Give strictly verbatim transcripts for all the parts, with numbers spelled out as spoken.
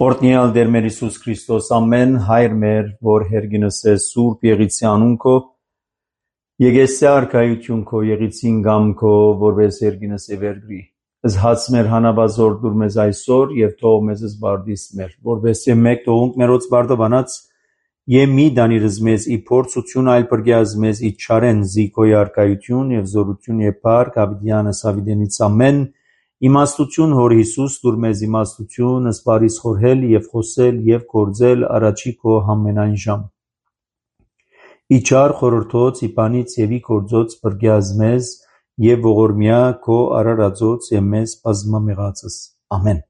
Օրհնյալ Տեր մեր Հիսուս Քրիստոս, ամեն հայր մեր, որ հերգինս է սուրբ եղիցի անուն քո, եկեսի արքայություն քո, եղիցին գամ քո, որպես հերգինս է վերգրի։ Զհաց մեր հանաբազոր դուր մեզ այսօր և թող մեզ զբարդիս մեր, որպես է մեկ թողունք մերոց բարդաբանած, և մի դանիրыз մեզ ի փորձություն այլ պրգյազ մեզ ի չարեն զիքոյ արքայություն և զորություն և փառք Ավիդյանս Ավիդենից ամեն իմաստություն հոր Հիսուս դուր մեզ իմաստություն ասպարիս խորհել և խոսել և գործել առաջի քո համենայն ժամ։ Իչար խորհրդոց իպանից և ի գործոց պրգյազ մեզ և ողորմյա քո արարածոց և մեզ բազմամեղածս։ Ամեն։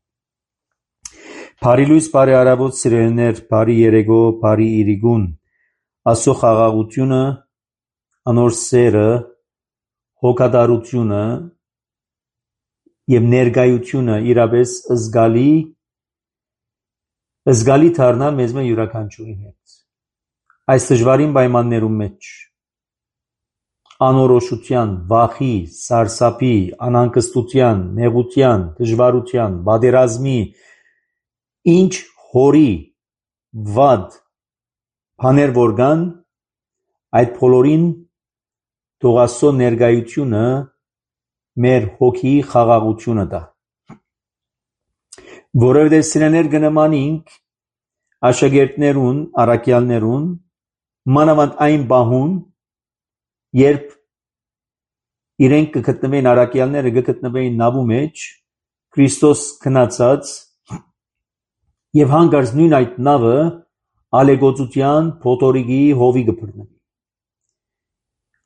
Բարի լույս, բարի արավոտ սիրելիներ, բարի երեգո, բարի իրիգուն, Աստծո խաղաղությունը, անոր սերը, հոգատարությունը և ներկայությունը իրապես զգալի զգալի դառնա մեզ մե յուրաքանչյուրի հետ։ Այս դժվարին պայմաններում մեջ անորոշության, վախի, սարսափի, անհանգստության, նեղության, դժվարության, պատերազմի, ինչ հորի վատ բաներ որ կան, այդ բոլորին թող Աստծո ներկայությունը մեր հոգիի խաղաղությունը տա։ Որովհետև սիրելիներ կնմանինք աշակերտներուն, առաքյալներուն, մանավանդ այն պահուն, երբ իրենք կգտնվեին առաքյալները կգտնվեին նավու մեջ, Քրիստոս քնացած և հանկարծ նույն այդ նավը ալեկոծության փոթորիկի հովի կբռնվի։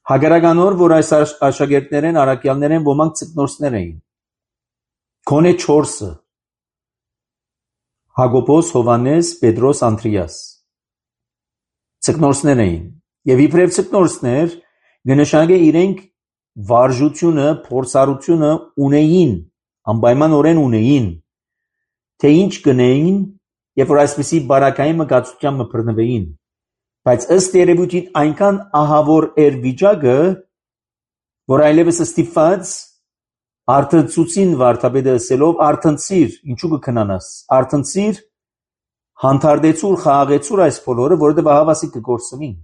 Հակառականոր, որ այս աշակերտներեն, առաքյալներեն ոմանք ձկնորսներ էին, գոնե չորսը՝ Հակոբոս, Հովհաննես, Պետրոս, Անդրեաս, ձկնորսներ էին, և իբրև ձկնորսներ կնշանակե իրենք վարժությունը, փորձառությունը ունեին, անպայմանորեն ունեին, թե ինչ կնեին, երբ որ այսպիսի բարակային մկացության մը բռնվեին, բայց ըստ երևույթին այնքան ահավոր էր վիճակը, որ այլևս ստիպված արթնցուցին վարդապետը ասելով արթնցիր, ինչու կքնանաս, արթնցիր, հանդարտեցուր, խաղաղեցուր այս բոլորը, որովհետև ահավասիկ կկորսնին։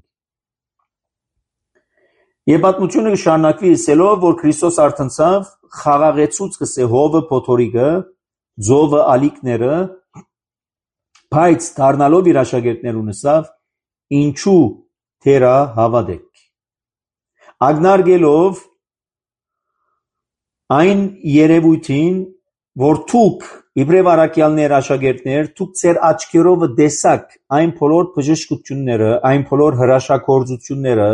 Եվ պատմությունը կշարունակվի ասելով, որ Քրիստոս արթնցավ, խաղաղեցուց կսե հովը, փոթորիկը, ձովը, ալիքները, բայց դառնալով իր աշակերտներուն ասավ, ինչու թերա հավատեք։ Ակնարկելով այն երևույթին, որ դուք իբրև առաքյալներ, աշակերտներ, դուք ձեր աչքերով տեսաք այն բոլոր բժշկությունները, այն բոլոր հրաշագործությունները,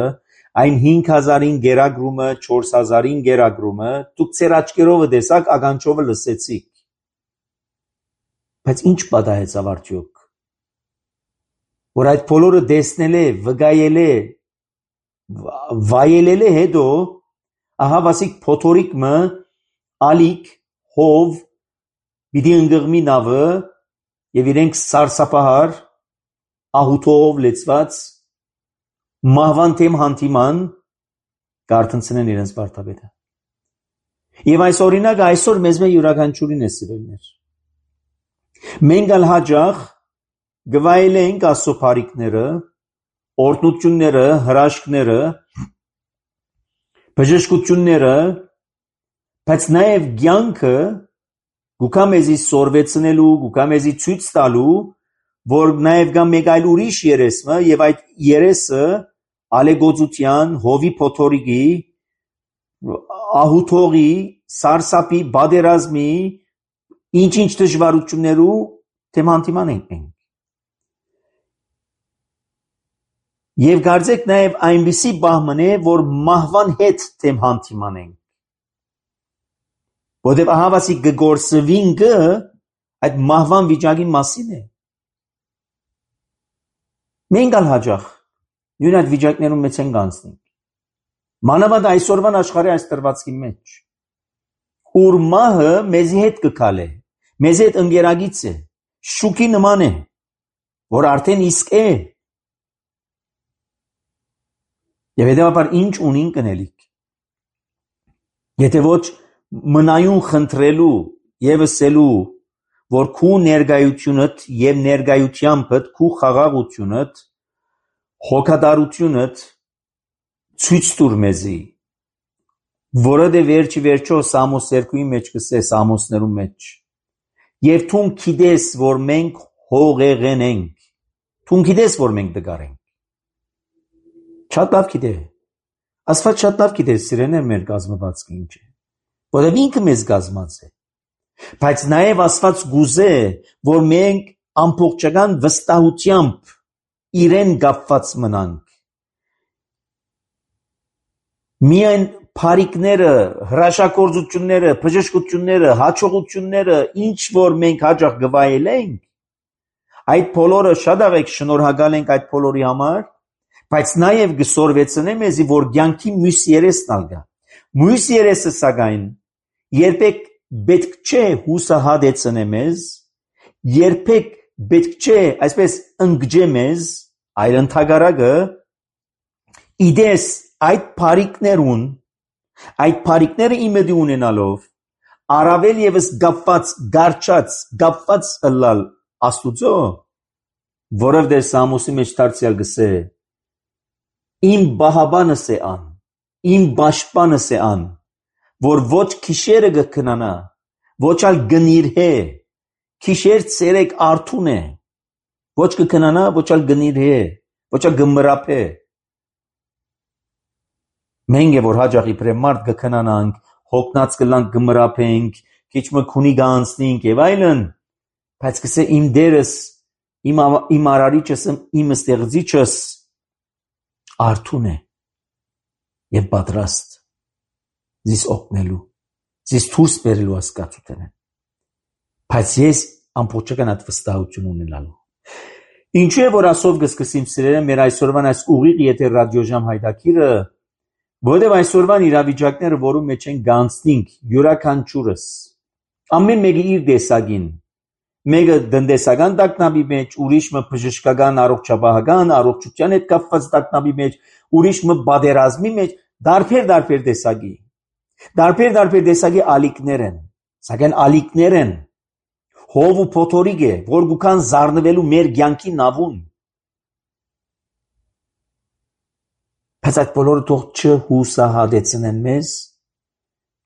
այն հինգ հազարին գերակրումը, չորս հազարին գերակրումը, դուք ձեր աչքերով տեսաք, ականջով լսեցիք։ Բայց ինչ պատահեցավ արդյոք, որ այդ բոլորը տեսնել է, վկայել է, վայելել է հետո, ահավասիկ փոթորիկը, ալիք, հով, պիտի ընկղմի նավը և իրենք սարսափահար, ահութով լեցված, մահվան թեմ հանդիման կարթնցնեն իրենց վարդապետը։ Եվ այս օրինակը այսօր մեզ մե յուրաքանչյուրին է սիրելիներ։ Մենք ալ հաճախ գվայելենք Աստծո բարիքները, օրհնությունները, հրաշքները, բժշկությունները, բայց նաև կյանքը գուքա մեզի սորվեցնելու, գուքա մեզի ցույց տալու, որ նաև կա մեկ այլ ուրիշ երեսը, և այդ երեսը ալեկոծության, հովի փոթորիկի, ահութողի, սարսափի, պատերազմի, ինչ-ինչ դժվարություններու թեմ հանդիման ենք մենք։ Եվ կարծեք նաև այնպիսի բահման է, որ մահվան հետ թեմ հանդիման ենք։ Որտև ահավասիկ կգործվին կը այդ մահվան վիճակի մասին է։ Մենք ալ հաճախ նույն այդ վիճակներում մեծ ենք անցնենք։ Մանավանդ այսօրվան աշխարհի այս տրվածքի մեջ, ուր մահը մեզի հետ կգալե, մեզ հետ ընկերագից է, շուքի նման է, որ արդեն իսկ է։ Եվ հետևաբար ինչ ունին կնելիք։ Եթե ոչ մնայուն խնդրելու և ասելու, որ քու ներգայությունդ եւ ներգայությանդ քու խաղաղությունդ հոգատարությունդ ցույց տուր մեզի, որը վերջի վերջո Սամոս երկուի մեջ կսե Սամոսներու մեջ, եւ թուն գիտես, որ մենք հողեղեն ենք, թուն գիտես, որ մենք դգար ենք, շատ լավ գիտե, Աստված շատ լավ գիտե սիրելիներ մեր գազմվածքը ինչ է, որովհետեւ ինքը մեզ գազմած է, բայց նաեւ Աստված գուզե, որ մենք ամբողջական վստահությամբ իրեն կապված մնանք, միայն փարիկները, հրաշագործությունները, բժշկությունները, հաջողությունները, ինչ որ մենք հաջող գվայել ենք, այդ բոլորը շատ աղեք շնորհակալ ենք այդ բոլորի համար, բայց նաև գսորվեցնեմ եզի, որ կյանքի մյուս երեսն ալգա։ Մյուս երեսը սակայն երբեք պետք չէ հուսահատեցնե մեզ, երբեք պետք չէ այսպես ընկճե մեզ, այլ ընդհակառակը իդես այդ փարիկներուն, այդ փարիկները իմեդի ունենալով, առավել եւս գապված, գարչած, գապված ըլլալ Աստուծո, որովհետեւ Սամոսի մեջ դարձյալ գսե իմ բահաբանս է ան, իմ պաշտպանս է ան, որ ոչ քիշերը կքնանա, ոչ ալ գնիրհե, քիշեր ցերեկ արթուն է, ոչ կքնանա, ոչ ալ գնիրհե, ոչ ալ գմրապե։ Մենք է որ հաջող իբրե մարդ կքնանանք, հոգնած կլանք գմրապենք, քիչ մը քունի գանցնենք եւ այլն, բայց կսե իմ դերս, իմ իմ արարիչս, իմ ստեղծիչս արթուն է եւ պատրաստ զիս օգնելու, զիս դուրս բերելու հասկացութեն է, բայց ես ամբողջական այդ վստահություն ունենալու։ Ինչու է որ ասով կսկսեմ սիրելը մեր այսօրվան այս ուղիղ եթե ռադիոժամ հայտակիրը, որովհետեւ այսօրվան իրավիճակները, որում մեջ են գանցնենք յուրաքանչյուրս, ամեն մեկը իր դեսագին, մեկը դնդեսական տակնապի մեջ, ուրիշը բժշկական առողջապահական, առողջության հետ կապված տակնապի մեջ, ուրիշը բادرազմի մեջ, դարբեր-դարբեր դեսագի։ Դարբեր-դարբեր դեսագի ալիքներ են, սակայն ալիքներ են, հով ու փոթորիկ է, որ գուքան զառնվելու մեր կյանքի նավուն։ Բայց այդ բոլորը թող չհուսահատեցնեն մեզ,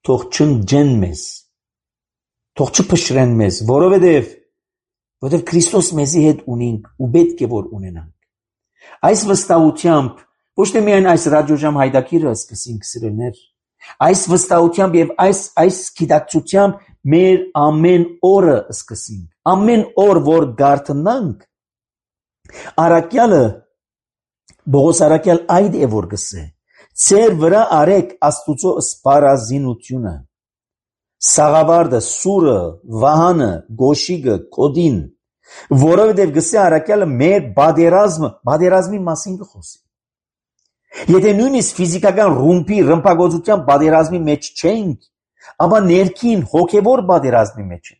թող չընջեն մեզ, թող չփշրեն մեզ, որովհետև որովհետև Քրիստոս մեզի հետ ունենք ու պետք է որ ունենանք։ Այս վստահությամբ ոչ թե միայն այս ռադիոժամ հայտակիրը սկսենք սիրելներ, այս վստահությամբ եւ այս այս գիտակցությամբ մեր ամեն օրը սկսենք, ամեն օր որ գարտնանք, արաքյալը Բողոս արաքյալ այդ է որ գսե, ծեր վրա արեք Աստուծո սպառազինությունը, Սաղավարդը, Սուրը, Վահանը, Գոշիգը, Կոդին, որովհետև գսե արաքյալը մեր բادرազմը, բادرազմի մասին կխոսի։ Եթե նույնիսկ ֆիզիկական ռումբի ռմբագործության բادرազմի մեջ չենք, ապա ներքին հոգևոր բادرազմի մեջ ենք։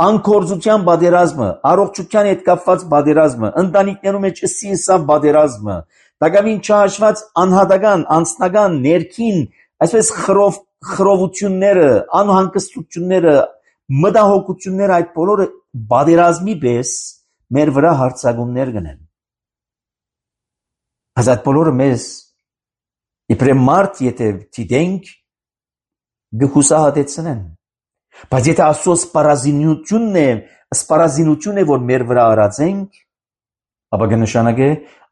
Անկորձության բادرազմը, առողջության հետ կապված բادرազմը, ընտանիքներում մեջ սինսա բادرազմը, դակամին չհաշված անհատական, անձնական, ներքին, այսպես խրով խրովությունները, անհանգստությունները, մտահոգությունները այդ բոլորը բادرազմի պես մեր վրա հարցակումներ կնեն։ Բայց այդ բոլորը մեզ իբրե մարդ եթե դիտենք գհուսահատեցնեն։ Բայց եթե Աստծո սպառազինությունն է, սպառազինությունն է որ մեր վրա արածենք, ապա կնշանակե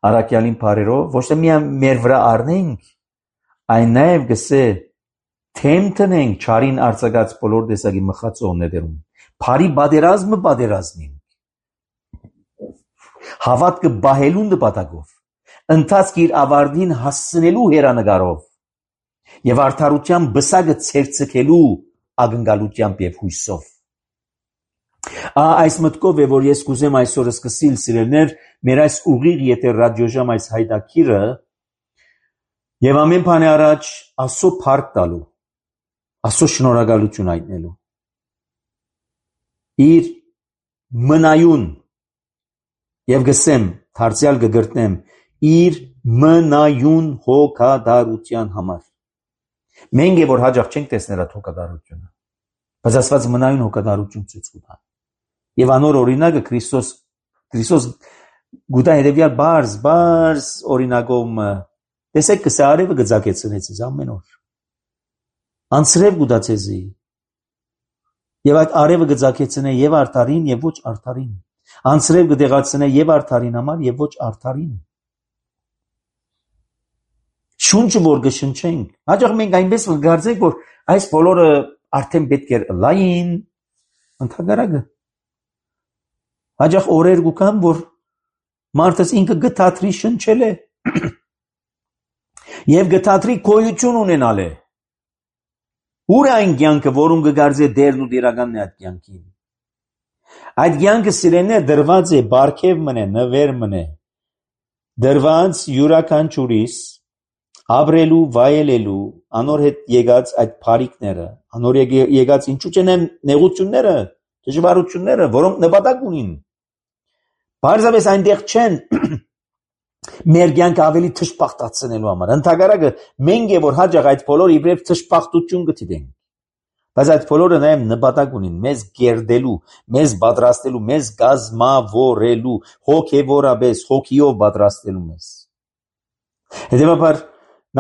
արաքյալին բարերով ոչ թե միայն մեր վրա առնենք, այլ նաև գսե թեմ տնենք չարին արձակած բոլոր տեսակի մխածողներում։ Բարի բادرազմը բادرազմին։ Հավատքը բահելու նպատակով, ընթացք իր ավարտին հասցնելու հերանեկարով եւ արդարության բսակը ցերցկելու ակնկալությամբ եւ հույսով։ Այս մտքով է որ ես կուզեմ այսօր սկսել սիրելներ մեր այս ուղիղ եթե ռադիոժամ այս հայտակիրը եւ ամեն բանի առաջ Աստծո փառք տալու, Աստծո շնորհակալություն հայտնելու։ Իր մնայուն եւ գսեմ դարձյալ կգրտնեմ իր մնայուն հոգադարության համար։ Մենք է որ հաջող չենք տեսնել այդ հոգադարությունը, բայց Աստված մնայուն հոգադարություն ցույց կտա։ Եվ անոր օրինակը Քրիստոս Քրիստոս գուտա հետևյալ բարձ բարձ օրինակով տեսեք կսե արևը գծակեցնեց ձեզ ամեն օր անցրև գուտա ձեզի եւ այդ արևը գծակեցնե եւ արդարին եւ ոչ արդարին անցրև գդեղացնե եւ արդարին համար եւ ոչ արդարին շունչը որ գշնչենք հաջող մենք այնպես կգարձենք որ այս բոլորը արդեն պետք է լային ընդհանրակը հաջող օրեր գուքան որ մարդս ինքը գտածրի շնչել է եւ գտածրի գոյություն ունենալ է ուր այն կյանքը որում կգարձե դերն ու դերականն է այդ կյանքին այդ կյանքը սիրեններ դրված է բարգև մնե նվեր մնե դրված յուրաքանչյուրիս ապրելու վայելելու անոր հետ եկած այդ բարիկները անոր եկած ինչու՞ չեն նեղությունները դժվարությունները որոնք նպատակ ունին Բարձրապես այնտեղ չեն մեր կյանքը ավելի թշպախտացնելու համար ընդհանրակը մենք է որ հաջող այդ բոլորը իբրև թշպախտություն գտիդենք բայց այդ բոլորը նաև նպատակ ունին մեզ գերդելու մեզ պատրաստելու մեզ գազմավորելու հոգևորապես հոգիով պատրաստելու մեզ հետևաբար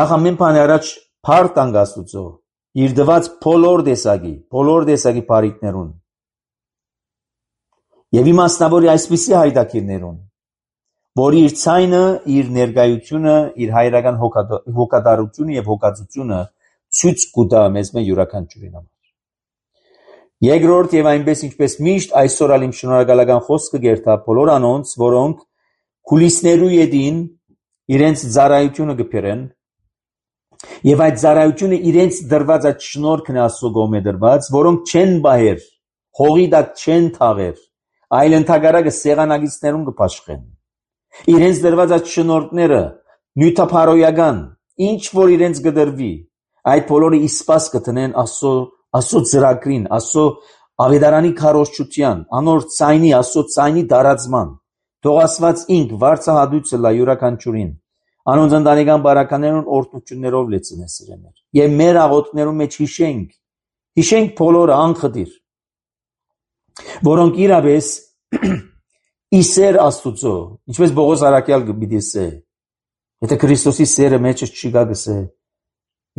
նախ ամեն բանի առաջ փառք տանք Աստծո իր դված բոլոր տեսակի բոլոր տեսակի բարիկներուն Եվ իմաստնավորի այսպիսի հայտակիրներուն, որ իր ցայնը, իր ներկայությունը, իր հայրական հոգատարությունը եւ հոգածությունը ցույց կտա մեզ մե յուրաքանչյուրին համար։ Երկրորդ եւ այնպես ինչպես միշտ այսօր ալ իմ շնորհակալական խոսքը գերտա բոլոր անոնց, որոնք քուլիսներու յետին իրենց ծառայությունը կփերեն եւ այդ ծառայությունը իրենց դրված այդ շնորհքն Աստծո կողմէ դրված, որոնք չեն բահեր, հողի տակ չեն թաղեր Այլ ընդհանրակը սեղանագիցներուն կփաշխեն։ Իրենց դրված այդ շնորհքները նյութափարոյական, ինչ որ իրենց կդրվի, այդ բոլորը իսպաս կտնեն Աստծո Աստծո ծրագրին, Աստծո ավետարանի քարոզչության, անոր ցայնի, Աստծո ցայնի դարածման։ Թող Աստված ինք վարձահատույցը լա յուրաքանչյուրին։ Անոնց ընտանեկան բարականերուն օրհնություններով լեցնե սիրեներ։ Եվ մեր աղոթքներում մեջ հիշենք, հիշենք բոլորը անխտիր որոնք իրապես իսեր Աստուծո, ինչպես Բողոս Արաքյալ գիտի սե, եթե Քրիստոսի սերը մեջս չի գա գսե,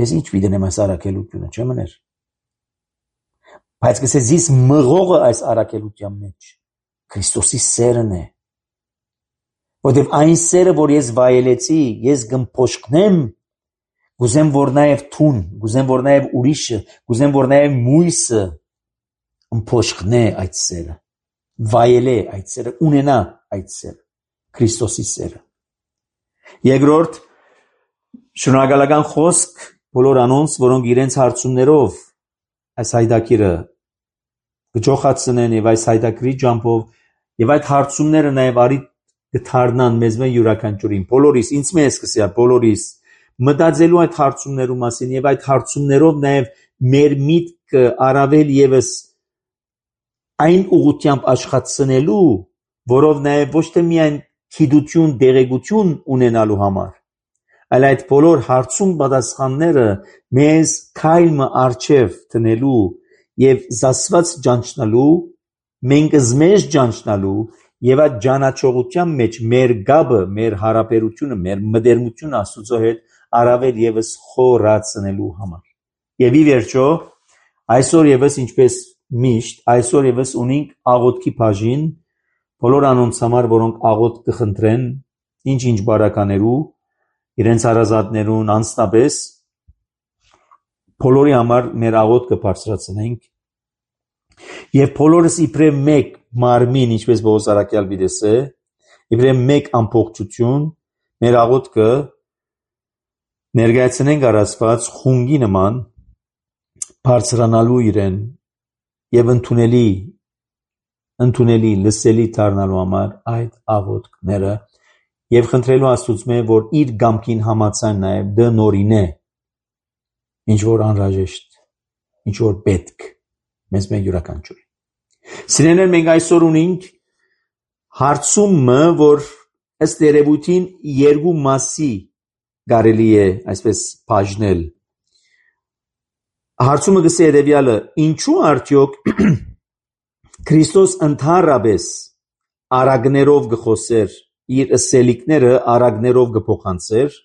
ես ինչ պիտենեմ այս արաքելությունը, չէ մներ, բայց գսե զիս մղողը այս արաքելության մեջ, Քրիստոսի սերն է, որտև այն սերը, որ ես վայելեցի, ես գմփոշկնեմ, գուզեմ որ նաև թուն, գուզեմ որ նաև ուրիշը, գուզեմ որ նաև մույսը ըմփոշկնե այդ սերը, վայելե այդ սերը, ունենա այդ սերը, Քրիստոսի սերը։ Երկրորդ, շնորհակալական խոսք բոլոր անոնց, որոնք իրենց հարցումներով այս հայտակիրը կջոխացնեն եւ այս հայտակրի ջամփով եւ այդ հարցումները նաև արի կդառնան մեզ մե յուրաքանչյուրին, բոլորիս, ինձ մեզ սկսյա բոլորիս մտածելու այդ հարցումներու մասին եւ այդ հարցումներով նաև մեր միտքը առավել եւս այն ուղղությամբ աշխատցնելու, որով նաև ոչ թե միայն քիդություն, դեղեցություն ունենալու համար, այլ այդ բոլոր հարցում պատասխանները մեզ քայլը արժև տնելու եւ զասված ճանչնալու, մենք զմեջ ճանչնալու եւ այդ ճանաչողության մեջ մեր գաբը, մեր հարաբերությունը, մեր մտերմությունը Աստծո հետ առավել եւս խորացնելու համար։ Եվ ի վերջո, այսօր եւս ինչպես Միշտ այսօր եւս ունենք աղոթքի բաժին բոլոր անոնց համար, որոնք աղոթք կխնդրեն, ինչ-ինչ բարականերու, իրենց հարազատներուն անձնապես, բոլորի համար մեր աղոթքը բարձրացնենք եւ բոլորս իբրև մեկ մարմին, ինչպես Բողոս Արաքյալ վիդեսե, իբրև մեկ ամբողջություն, մեր աղոթքը ներկայացնենք առասված խունգի նման բարձրանալու իրեն եւ ընդունելի ընդունելի լսելի դառնալու համար այդ աղոթքները եւ խնդրելու Աստծո որ իր գամքին համաձայն նաեւ դնորինե ինչ որ անհրաժեշտ ինչ որ պետք մեզ մեր յուրաքանչյուրին Սիրելիներ մենք այսօր ունենք հարցումը որ ըստ երևույթին երկու մասի կարելի է այսպես բաժնել Հարցումը գսե հետևյալը, ինչու արդյոք Քրիստոս ընդհանրապես արագներով գխոսեր, իր ըսելիքները արագներով գփոխանցեր,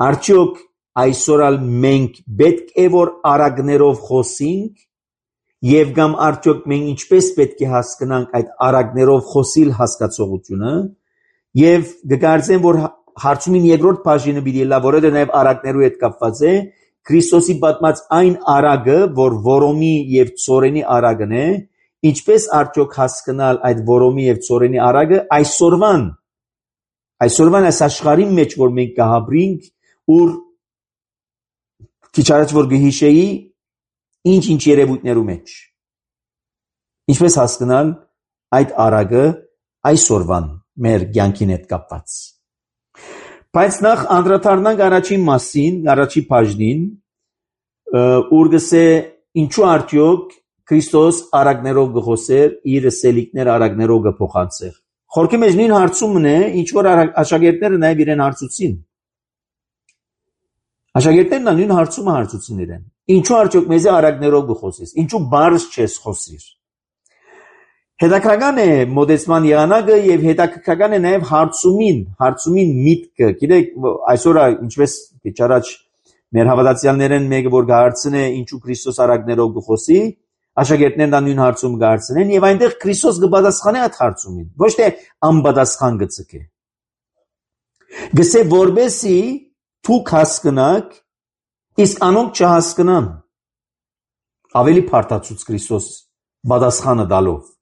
արդյոք այսօր ալ մենք պետք է որ արագներով խոսենք եւ կամ արդյոք մենք ինչպես պետք է հասկանանք այդ արագներով խոսիլ հասկացողությունը եւ կգարձեմ որ հարցումին երկրորդ բաժինը պիտի լա որը նաեւ արագներու հետ կապված է Քրիստոսի պատմած այն արագը որ որոմի եւ ծորենի արագն է ինչպես արդյոք հասկանալ այդ որոմի եւ ծորենի արագը այսօրվան այսօրվան այս աշխարհի մեջ որ մենք կհաբրինք ուր քիչ առաջ որ գհիշեի ինչ-ինչ երևույթներու մեջ ինչպես հասկանալ այդ արագը այսօրվան մեր կյանքին հետ կապված բայց նախ անդրադառնանք առաջին մասին առաջին բաժնին ուր գսե ինչու արդյոք Քրիստոս արագներով գխոսեր իր ըսելիքները արագներով գփոխանցեր խորքի մեջ նույն հարցումն է ինչ որ աշակերտները նաև իրեն հարցուցին աշակերտներն նույն հարցումը հարցուցին իրեն ինչու արդյոք մեզ արագներով գխոսես ինչու բարձ չես խոսիր հետաքրքրական է մոդեցման եղանակը եւ հետաքրքրական է նաեւ հարցումին հարցումին միտքը գիտեք այսօր ինչպես առաջ մեր հավատացյալներն մեկը որ գարցնե ինչու Քրիստոս արագներով գխոսի աշակերտներն նույն հարցում գարցնեն եւ այնտեղ Քրիստոս կպատասխանի այդ հարցումին ոչ թե անպատասխան գծկե գսե որբեսի դուք հասկանաք իսկ անոնք չհասկանան ավելի փարտացուց Քրիստոս պատասխանը տալով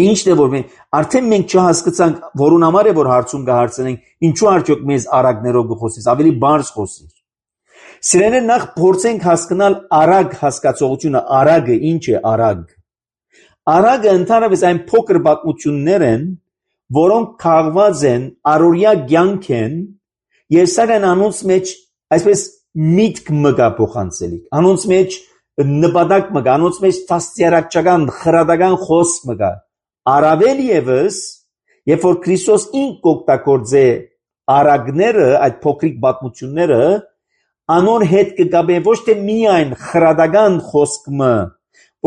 Ինչն է որ մենք արդեն մենք չհասկացանք որուն համար է որ հարցում կհարցնենք ինչու արդյոք մեզ արագներով գխոսես ավելի բարձ խոսիր Սիրելիներ նախ փորձենք հասկանալ արագ հասկացողությունը արագը ինչ է արագ Արագը ընդհանրապես այն փոքր պատմություններ են որոնք քաղված են առօրյա կյանք են եւ սակայն անոնց մեջ այսպես միտք մգա փոխանցելիք անոնց մեջ նպատակ մգա անոնց մեջ տասյարակչական խրադական խոսք մգա Արավել եւս, երբ որ Քրիստոս ինք օգտագործե արագները, այդ փոքրիկ պատմությունները, անոր հետ կգաբե ոչ թե միայն խրադական խոսքը,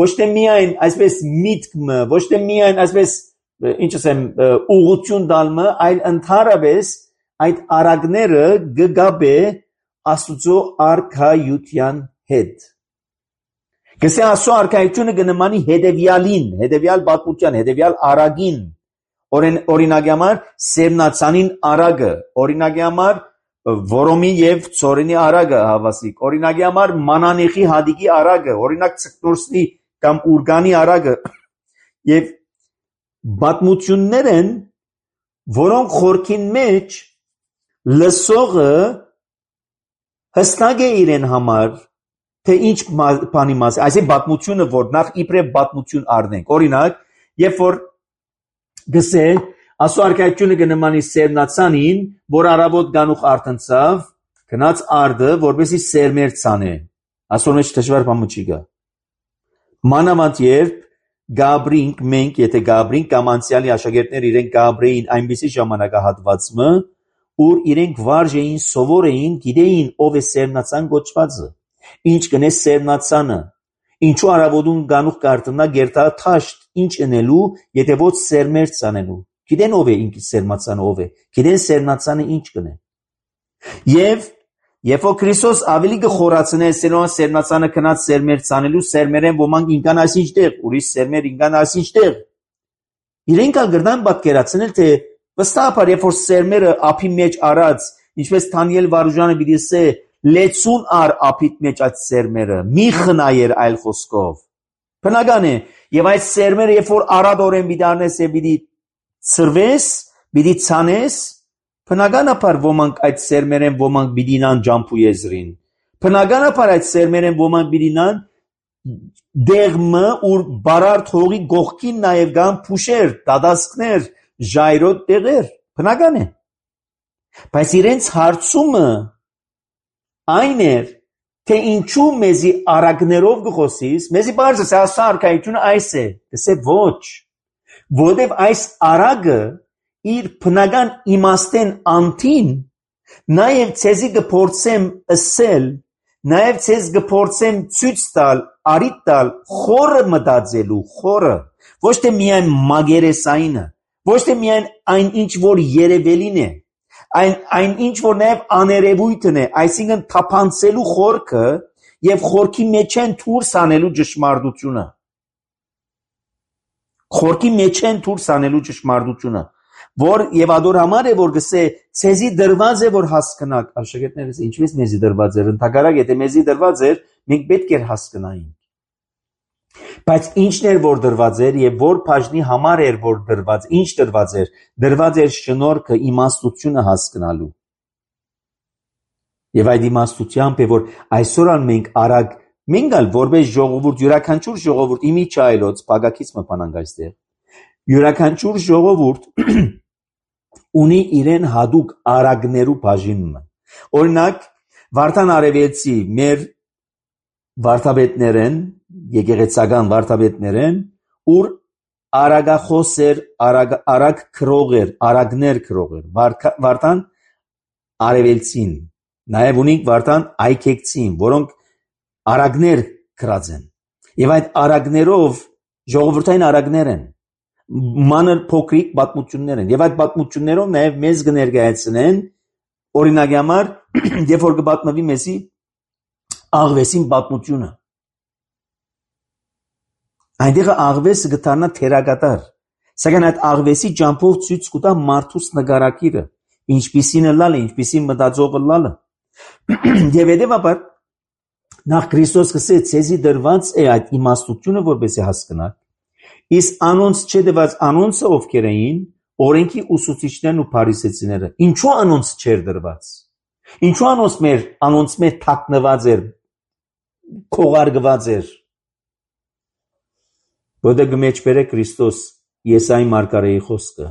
ոչ թե միայն այսպես միտքը, ոչ թե միայն այսպես ինչ ասեմ ուղղություն տալը, այլ ընդհանրապես այդ արագները կգաբե Աստծո արքայության հետ Գսե Աստծո արքայությունը կնմանի հետևյալին, հետևյալ պատմության, հետևյալ արագին, օրինակի համար սերմնացանին արագը, օրինակի համար որոմի եւ ծորենի արագը հավասիկ, օրինակի համար մանանեխի հադիկի արագը, օրինակ ցկնորսնի կամ ուրգանի արագը եւ պատմություններ են, որոնք խորքին մեջ լսողը հստակ է իրեն համար թե ինչ բանի մաս այսի պատմությունը որ նախ իբրև պատմություն առնենք օրինակ երբ որ գսե Աստծո արքայությունը կնմանի սերմնացանին որ արաբոտ գանուխ արտնցավ գնաց արդը որպեսի սերմեր ցանե Աստծո մեջ դժվար բան չի գա մանավանդ երբ Գաբրինք մենք եթե Գաբրինք կամ անցյալի աշակերտներ իրենք Գաբրեին այնպիսի ժամանակահատվածը ուր իրենք վարժ էին սովոր էին գիտեին ով է սերմնացան գոչվածը Ինչ կնե սերմնացանը, ինչու արավոդուն գանուխ կարտնա գերտա թաշտ, ինչ ընելու, եթե ոչ սերմեր ցանելու, գիտեն ով է ինքի սերմնացանը ով է, գիտեն սերմնացանը ինչ կնե։ Եվ երբ որ Քրիստոս ավելի կխորացնե սերոն սերմնացանը կնած սերմեր ցանելու, սերմերեն ոմանք ինքան այսինչ տեղ, ուրիշ սերմեր ինքան այսինչ տեղ։ Իրենք ալգրդան պատկերացնել թե վստահաբար երբ որ սերմերը ափի մեջ արած, ինչպես Դանիել Վարուժանը պիտի ասե Լեցուն ար ափիտ մեջ այդ սերմերը, մի խնայեր այլ խոսքով։ Բնական է, եւ այդ սերմերը երբ որ արադորեն պիտի առնես եւ պիտի ծրվես, պիտի ցանես, բնականաբար ոմանք այդ սերմերեն ոմանք պիտի նան ջամփու եզրին։ Բնականաբար այդ սերմերեն ոմանք պիտի նան դեղմը ուր բարարդ հողի գողքին նաեւ կան փուշեր, դադասկներ, ժայրոտ տեղեր։ Բնական է։ Բայց իրենց հարցումը Այն էր, թե ինչու մեզի արագներով գխոսիս, մեզի բարձր է Աստծո արքայությունը այս է, դեսե ոչ, որովհետև այս արագը իր բնական իմաստեն անտին, նաև ցեզի կփորձեմ ասել, նաև ցեզ կփորձեմ ցույց տալ արիտ տալ խորը մտածելու, խորը, ոչ թե միայն մագերեսայինը, ոչ թե միայն այն ինչ որ երևելին է, այն այն ինչ որ նաև աներևույթն է, այսինքն թափանցելու խորքը եւ խորքի մեջ են դուրս անելու ճշմարտությունը։ Խորքի մեջ են դուրս անելու ճշմարտությունը, որ եւ ադոր համար է որ գսե ցեզի դրված է որ հասկանաք, աշակերտներս ինչպես մեզի դրված էր, ընդհակառակ եթե մեզի դրված էր, մենք պետք էր հասկանայինք։ Բայց ինչն էր որ դրված էր եւ որ բաժնի համար էր որ դրված, ինչ դրված էր, դրված էր շնորհքը, իմաստությունը հասկանալու։ Եվ այդ իմաստությամբ է որ այսօր ան մենք արագ մենք ալ որպես ժողովուրդ յուրաքանչյուր ժողովուրդ իմի չայլոց բագակից մփանանք այստեղ։ Յուրաքանչյուր ժողովուրդ ունի իրեն հadouk արագներու բաժինը։ Օրինակ Վարդան Արևելցի մեր վարդապետներեն, եկեղեցական վարդապետներեն, ուր արագախոսեր, արագ արագ քրողեր, արագներ քրողեր, Վարդան Արևելցին, նաև ունիկ Վարդան Այքեկցին, որոնք արագներ քրած են։ Եվ այդ արագներով ժողովրդային արագներ են, մանր փոքրիկ պատմություններ են, եւ այդ պատմություններով նաև մեզ կներկայացնեն օրինակի համար, երբ որ կպատմվի մեզի աղվեսին պատմությունը։ Այնտեղ աղվեսը կդառնա թերակատար, սակայն այդ աղվեսի ջամփով ցույց կտա մարդուս նկարակիրը, ինչպիսին լալը, ինչպիսին մտածողը լալը։ Եվ հետևաբար նախ Քրիստոս կսե ցեզի դրված է այդ իմաստությունը, որպեսզի հասկանաք, իսկ անոնց չդված անոնցը ովքեր էին, օրենքի ուսուցիչներն ու փարիսեցիները, ինչու անոնց չեր դրված։ Ինչու անոնց մեր անոնց մեր թաքնված էր, քողարկված էր։ Որտեղ մեջ բերե Քրիստոս Եսայի մարգարեի խոսքը։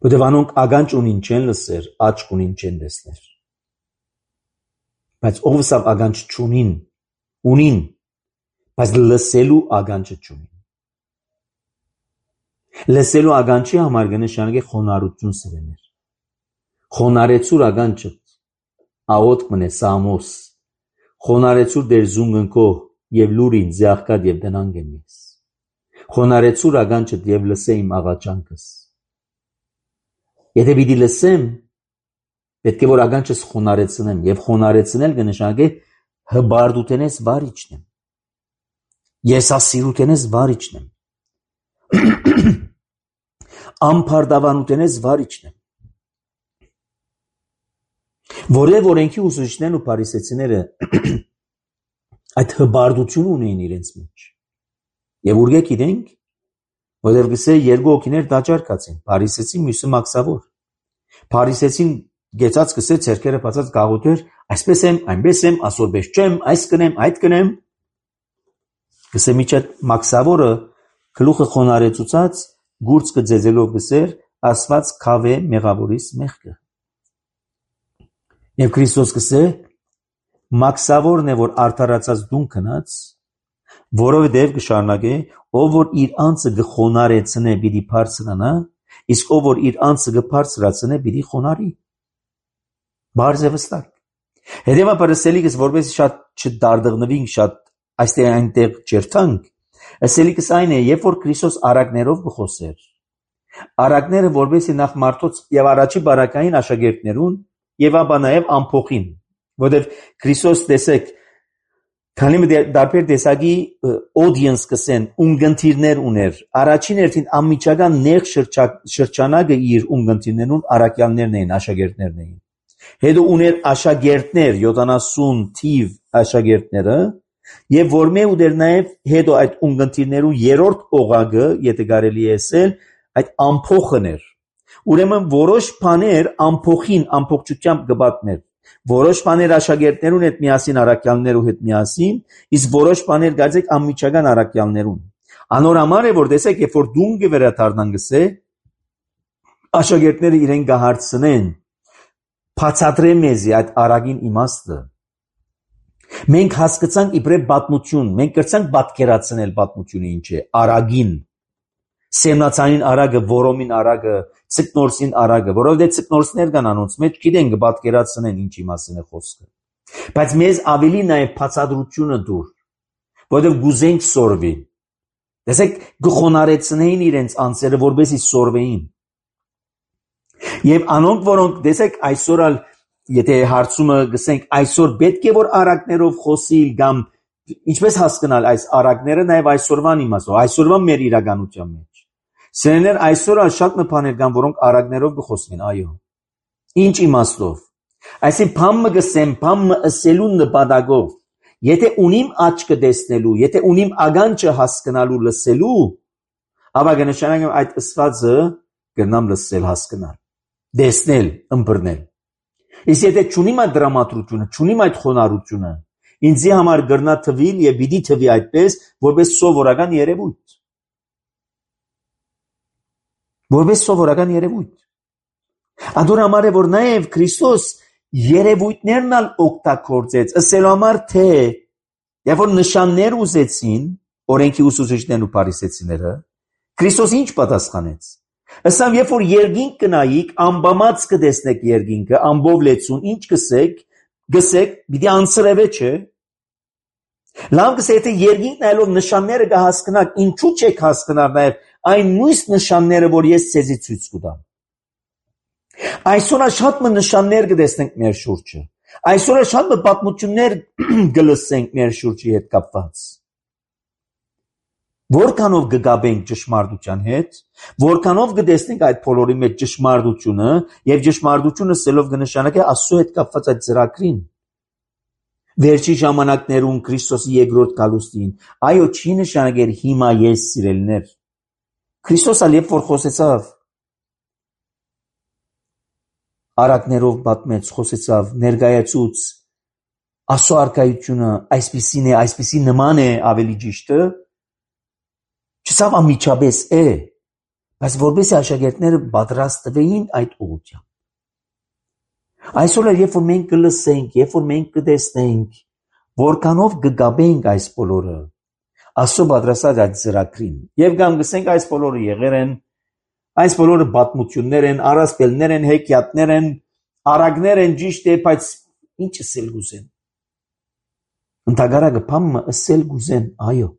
Որտեղ անոնք ագանջ ունին չեն լսեր, աչք ունին չեն տեսներ։ Բայց ով սա ագանջ չունին, ունին, բայց լսելու ագանջը չունին։ Լսելու ագանջի համար կնշանակե խոնարհություն սրեներ։ Խոնարեցուր ագանջը աղոտ մնե Սամոս, խոնարեցուր դեր զունգնքո եւ լուրին զեղկած եւ դնանգ եմ ես։ Խոնարեցուր ագանջը եւ լսե իմ աղաչանքս։ Եթե պիտի լսեմ, պետք է որ ագանջս խոնարեցնեմ եւ խոնարեցնել կնշանակե հբարդութենես վարիչնեմ։ Եսասիրութենես վարիչնեմ։ Ամփարդավանութենես վարիչնեմ։ Որև օրենքի ուսուցիչներն ու փարիսեցիները այդ հբարդություն ունեն իրենց մեջ։ Եվ ուրգե գիտենք, որև գսե երկու օքիներ դաճարկացին, փարիսեցին, մյուսը մաքսավոր։ Փարիսեցին գեցած գսե ցերկերը բացած գաղութեր, այսպես եմ, այնպես եմ, ասորբես չեմ, այս կնեմ, այդ կնեմ։ Գսե միջ այդ մաքսավորը գլուխը խոնարեցուցած գուրծ կձեզելով գսեր, ասված քավե մեղավորիս մեղքը։ Եվ Քրիստոս գսե մաքսավորն է որ արդարացած դուն քնած, որովհետև կշարունակե, ով որ իր անձը գխոնարեցնե պիտի բարձրանա, իսկ ով որ իր անձը գբարձրացնե պիտի խոնարի։ Բարձ է վստակ։ Հետևաբար ասելիքս որպես շատ չդարդղնվինք, շատ այստեղ այնտեղ չերթանք, ասելիքս այն է, երբ որ Քրիստոս արագներով գխոսեր, արագները որպեսզի նախ մարդոց եւ առաջի բարակային աշակերտներուն եւ ապա նաեւ ամփոխին, որովհետեւ Քրիստոս տեսեք քանի դարբեր տեսակի audience կսեն ունգընտիրներ ուներ, առաջին երթին ամիջական նեղ շրջանակը իր ունգընտիրներուն արաքյալներն էին, աշակերտներն էին։ Հետո ուներ աշակերտներ, յոթանասուն թիվ աշակերտները, եւ որ մե ուներ նաեւ հետո այդ ունգընտիրներու երրորդ օղագը, եթե կարելի է ասել, այդ ամփոխն էր։ Ուրեմն որոշ բաներ ամփոխին, ամփոխությամբ կպատմեր։ Որոշ բաներ աշակերտներուն հետ միասին, արաքյալներու հետ միասին, իսկ որոշ բաներ գարձեք ամիջական արաքյալներուն։ Անոր համար է որ տեսեք, երբ որ դունգը վերադառնան գսե, աշակերտները իրեն կհարցնեն, բացատրե մեզի այդ արագին իմաստը։ Մենք հասկացանք իբրև պատմություն, մենք կրցանք պատկերացնել պատմությունը ինչ է, արագին, սեմնացանին արագը, որոմին արագը, ցկնորսին արագը, որովհետև ցկնորսներ կան անոնց մեջ, գիտեն կպատկերացնեն ինչի մասին է խոսքը։ Բայց մեզ ավելի նաև բացատրությունը դուր, որովհետև գուզենք սորվի։ Տեսեք, գխոնարեցնեին իրենց անձերը, որպեսզի սորվեին։ Եվ անոնք, որոնք տեսեք այսօր ալ եթե հարցումը գսենք այսօր պետք է որ արակներով խոսիլ կամ ինչպես հասկանալ այս արակները նաև այսօրվան իմաստով, այսօրվան մեր իրականության մեջ։ Սերներ այսօր ալ շատ մփաներ կան, որոնք արակներով կխոսվեն, այո։ Ինչ իմաստով։ Այսինքն փամը գսեմ, փամը ասելու նպատակով։ Եթե ունիմ աչքը տեսնելու, եթե ունիմ ագանչը հասկանալու, լսելու, ապա կնշանակեմ այդ ըսվածը կգնամ լսել, հասկանալ, տեսնել, ըմբռնել։ Իսկ եթե չունիմ այդ դրամատրությունը, չունիմ այդ խոնարհությունը, ինձի համար գրնա թվիլ եւ պիտի թվի այդպես, որպես սովորական երևույթ։ Որպես սովորական երևույթ։ Ադոր համար է որ նաեւ Քրիստոս երևույթներն ալ օգտագործեց, ասելու համար թե երբ որ նշաններ ուզեցին, օրենքի ուսուցիչներն ու փարիսեցիները, Քրիստոս ինչ պատասխանեց։ Ասամ երբ որ երկինք կնայիք, ամբամած կտեսնեք երկինքը, ամբով լեցուն, ինչ կսեք, գսեք, պիտի անցրևե չէ։ Լավ կսե եթե երկինք նայելով նշանները կհասկանաք, ինչու չեք հասկանալ նաև այն նույն նշանները, որ ես ցեզի ցույց կտամ։ Այսօր շատ մը նշաններ կտեսնենք մեր շուրջը։ Այսօր շատ մը պատմություններ կլսենք մեր շուրջի հետ կապված։ Որքանով կգաբենք ճշմարտության հետ, որքանով կտեսնենք այդ բոլորի մեջ ճշմարտությունը եւ ճշմարտությունը սելով կնշանակե Աստծո հետ կապված այդ ծրագրին։ Վերջի ժամանակներում Քրիստոսի երկրորդ գալուստին, այո, չի նշանակեր հիմա ես սիրելիներ։ Քրիստոսը երբ որ խոսեցավ, արակներով պատմեց, խոսեցավ, ներկայացուց Աստծո արքայությունը այսպիսին է, այսպիսի նման է ավելի ճիշտը, չսավ ամիջապես է, բայց որպեսզի աշակերտները պատրաստվեին այդ ուղղությամբ։ Այսօր երբ որ մենք կլսենք, երբ որ մենք կտեսնենք, որքանով կգաբենք այս բոլորը, Աստծո պատրաստած այդ ծրագրին, եւ կամ գսենք այս բոլորը եղեր են, այս բոլորը պատմություններ են, առասպելներ են, հեքիաթներ են, արագներ են, ճիշտ է, բայց ինչ ասել գուզեն։ Ընդհանրակը փամը ասել գուզեն, այո,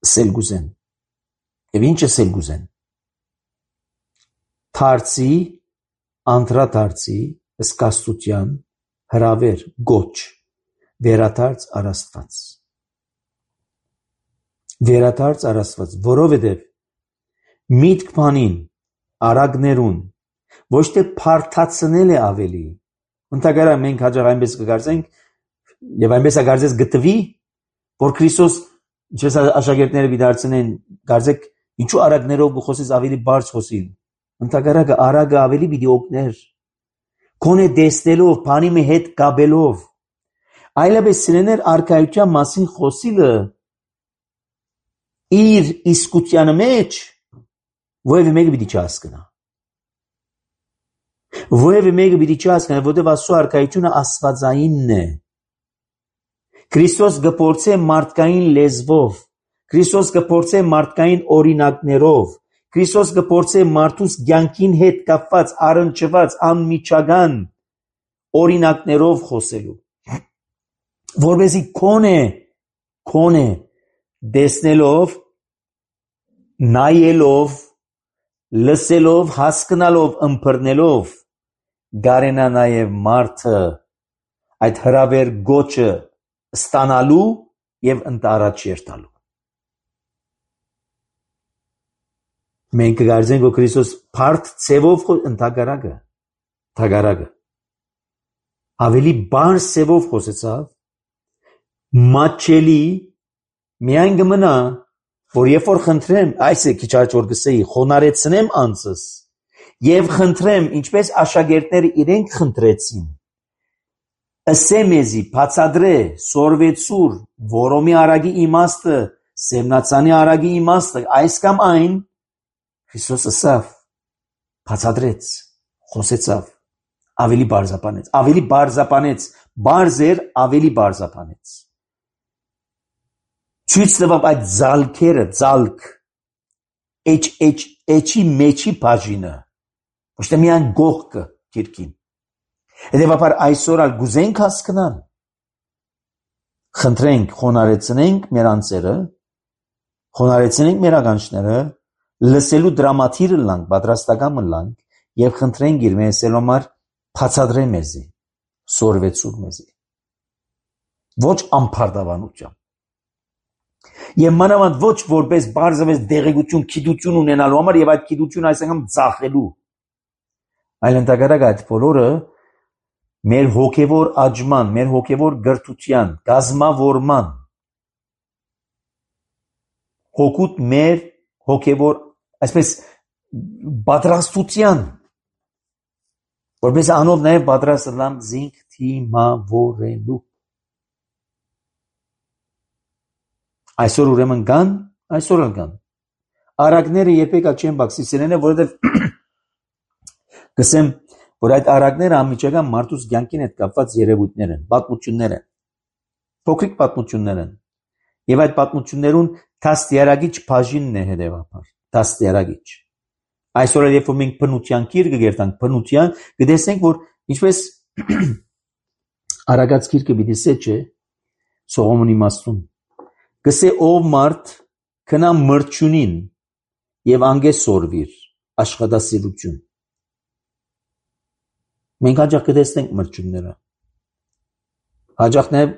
ասել գուզեն։ Եվ ինչ ասել գուզեն։ Թարցի, անդրադարձի, սկաստության, հրավեր, գոչ, վերադարձ առաստված։ Վերադարձ առաստված, որովհետև միտք բանին, արագներուն, ոչ թե փարթացնել է ավելի։ Ընդհանրապես մենք հաջող այնպես կգործենք եւ այնպես ագարձես գտվի, որ Քրիստոս ինչպես աշակերտները դիդարցնեն, գարձեք ինչու արագներով գխոսես ավելի բարձ խոսիլ։ Ընդհանրապես արագը ավելի պիտի օգներ։ Քոնե դեսնելով, բանի մի հետ գաբելով։ Այլապես սիրեներ արքայության մասին խոսիլը իր իսկությանը մեջ որևէ մեկը պիտի չհասկանա։ Որևէ մեկը պիտի չհասկանա, որովհետև Աստծո արքայությունը աստվածայինն է։ Քրիստոս կփորձե մարդկային լեզվով, Քրիստոս կփորձե մարդկային օրինակներով, Քրիստոս կփորձե մարդուս կյանքին հետ կապված, առնչված, անմիջական օրինակներով խոսելու։ Որպեսզի քոնե, քոնե դեսնելով, նայելով, լսելով, հասկանալով, ըմբռնելով գարենա նաև մարդը այդ հրավեր գոչը ստանալու եւ ընտարաջ երթալու։ Մենք կգարձենք, որ Քրիստոս բարդ ցևով ընդհակարակը, թագարակը ավելի բարձ ցևով խոսեցավ, մատչելի միայն կմնա, որ երբ որ խնդրեմ, այս է քիչ առաջ որ գսեի, խոնարեցնեմ անձս եւ խնդրեմ, ինչպես աշակերտները իրենք խնդրեցին, ասե մեզի, բացադրե, սորվեցուր, որոմի արագի իմաստը, սեմնացանի արագի իմաստը, այս կամ այն, Քրիստոս ասավ, բացադրեց, խոսեցավ, ավելի բարձապանեց, ավելի բարձապանեց, բարձեր, ավելի բարձապանեց։ Ցույց տվավ այդ զալքերը, զալք, էջ, էջ, էջի մեջի բաժինը, ոչ թե միայն գողկը գիրքին։ Հետևաբար այսօր ալ գուզենք հասկանալ, խնդրենք խոնարեցնենք մեր անձերը, խոնարեցնենք մեր ականջները, լսելու դրամատիրը լանք, պատրաստական լանք եւ խնդրենք իր մեսել համար բացադրե մեզի, սորվեցուր մեզի։ Ոչ ամփարտավանությամբ։ Եվ մանավանդ ոչ որպես բարձրապես դեղեցություն, գիտություն ունենալու համար եւ այդ գիտությունը այսինքն ծախելու, այլ ընդհանրապես այդ բոլորը մեր հոգևոր աճման, մեր հոգևոր գրթության, գազմավորման, հոգուտ մեր հոգևոր, այսպես պատրաստության, որպես անով նաև պատրաստ լամ զինք թիմավորելու։ Այսօր ուրեմն կան, այսօր էլ կան։ Արագները երբեք չեն բացիսերեն, որովհետև գսեմ, որ այդ արագները անմիջական մարդուց կյանքին հետ կապված երևույթներ են, պատմություններ են, փոքրիկ պատմություններ են, եւ այդ պատմություններուն դաստիարակիչ բաժինն է հետեւաբար, դաստիարակիչ։ Այսօր երբ որ մենք բնության գիրքը գերտանք, բնության կտեսնենք, որ ինչպես արագած գիրքը պիտի սեչե Սողոմոնի իմաստուն, գսե ով մարդ քնա մրջունին եւ անգե սորվիր աշխատասիրություն։ Մենք հաջող կտեսնենք մրջունները, հաջող նաև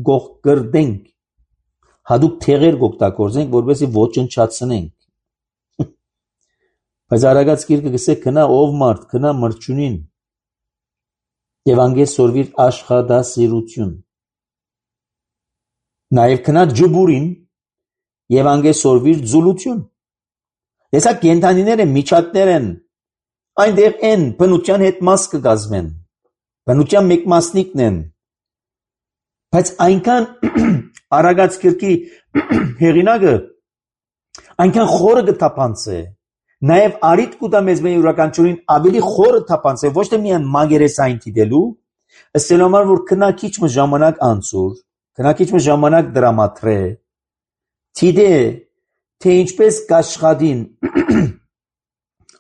գողգրդենք, հադուկ թեղեր գօգտագործենք, որովհետեւ ոչնչացնենք։ Բայց արագած գիրքը գսե քնա ով մարդ քնա մրջունին եւ անգե սորվիր աշխատասիրություն։ Նաև քնա ջբուրին եւ անգե սորվիր ձուլություն։ Հեսա կենթանիներ են, միջատներ են, այնտեղ են բնության հետ մաս կգազմեն, բնության մեկ մասնիկն են, բայց այնքան արագած գրքի հեղինակը այնքան խորը կթափանցե, նաև արիտ կուտա մեզ մեր յուրաքանչյուրին ավելի խորը թափանցե, ոչ թե միայն մագերեսային դիտելու, ըստ համար որ քնա քիչ մը ժամանակ անցուր, քնա քիչ մը ժամանակ դրամատրե, թիդե թե ինչպես կաշխատին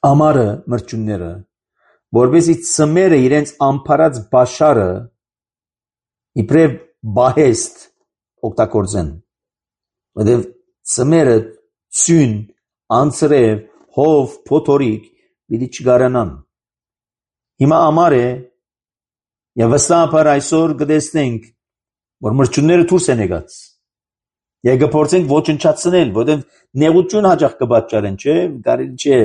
ամարը մրջունները, որպեսզի ծմերը իրենց ամփարած բաշարը իբրև բահեստ օգտագործեն, որտեղ ծմերը ցյուն, անցրև, հով, փոթորիկ պիտի չգարանան։ Հիմա ամար է եւ վստահաբար այսօր կտեսնենք, որ մրջունները դուրս են եկած։ Եվ կփորձենք ոչնչացնել, որտեղ նեղություն հաջող կպատճառեն, չէ՞, կարելի չէ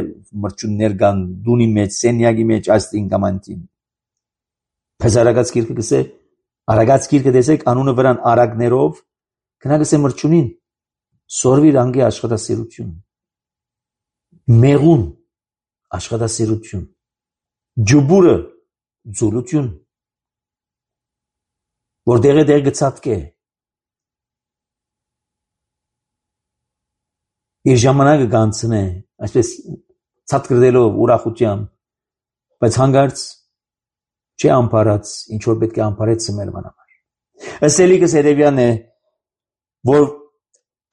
մրջուններ կան դունի մեջ, սենյակի մեջ այստին կամ այնտին։ Բայց արագած գիրքը գսե, արագած գիրքը տեսեք անունը վրան արագներով, գնա գսե մրջունին, սորվիր անգե աշխատասիրություն, մեղուն աշխատասիրություն, ջբուրը ձուլություն, որ դեղը դեղ գծատկե, իր ժամանակը կանցնե, այսպես ցածկրդելով ուրախությամբ, բայց հանգարց չի ամփարած, ինչ որ պետք է ամփարեց մեր համար։ Ըսելիքս հետևյալն է, որ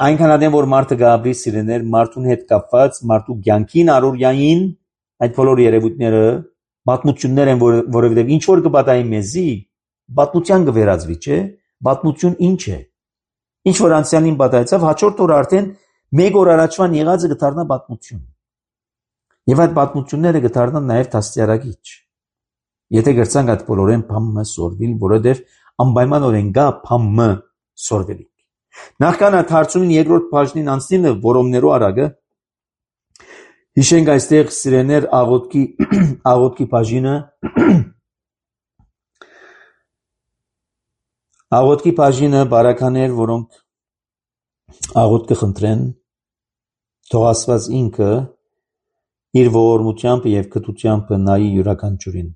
այնքան ադեմ որ մարդը գաբրի սիրեներ, մարդուն հետ կապված, մարդու կյանքին առօրյային այդ բոլոր երևույթները պատմություններ են, որ, որովհետև ինչ որ կպատահի մեզի, պատմության կվերածվի, չէ՞, պատմություն ինչ է։ Ինչ որ անցյալին պատահեցավ, հաջորդ օրը արդեն մեկ օր առաջվան եղածը կդառնա պատմություն։ Եվ այդ պատմությունները կդառնան նաև դաստիարակիչ։ Եթե գրցանք այդ բոլորեն փամը սորվիլ, որովհետև անպայմանորեն գա փամը սորվելիք։ Նախքան այդ հարցումին երկրորդ բաժնին անցնելը որոմներու արագը, հիշենք այստեղ սիրեներ աղոտքի աղոտքի բաժինը աղոտքի բաժինը բարականեր, որոնք աղոտ կխնդրեն, թող Աստված ինքը իր ողորմությամբ եւ կտությամբ նայի յուրաքանչյուրին։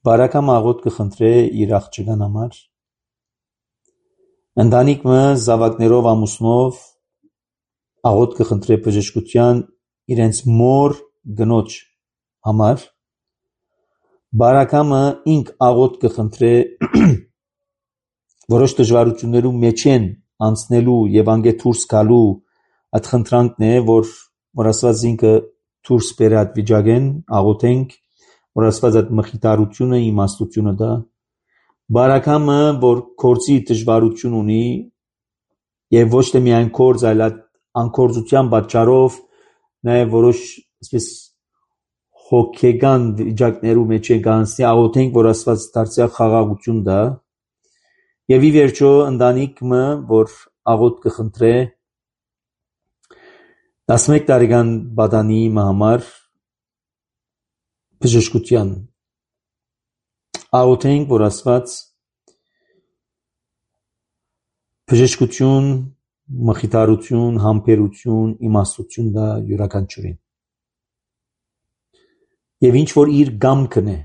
Բարակամ աղոտ կխնդրե իր աղջկան համար, ընտանիքը զավակներով ամուսնով աղոտ կխնդրե բժշկության իրենց մոր գնոջ համար, բարակամը ինք աղոտ կխնդրե որոշ դժվարություններու մեջ են անցնելու եւ անգե դուրս գալու այդ խնդրանքն է, որ որ Աստված ինքը դուրս բերե այդ վիճակեն, աղոթենք, որ Աստված այդ մխիթարությունը, իմաստությունը դա, բարակամը, որ կորցի դժվարություն ունի եւ ոչ թե միայն կորց, այլ անկորձության պատճառով նաեւ որոշ այսպես հոգեգան վիճակներու մեջ է գանցի աղոթենք, որ Աստված դարձյալ խաղաղություն տա եւ ի վերջո ընտանիքը, որ աղոթ կխնդրե տասնմեկ տարեկան բադանի համար բժշկության աղոթենք, որ Աստված բժշկություն, մխիթարություն, համբերություն, իմաստություն տա յուրաքանչյուրին եւ ինչ որ իր գամքն է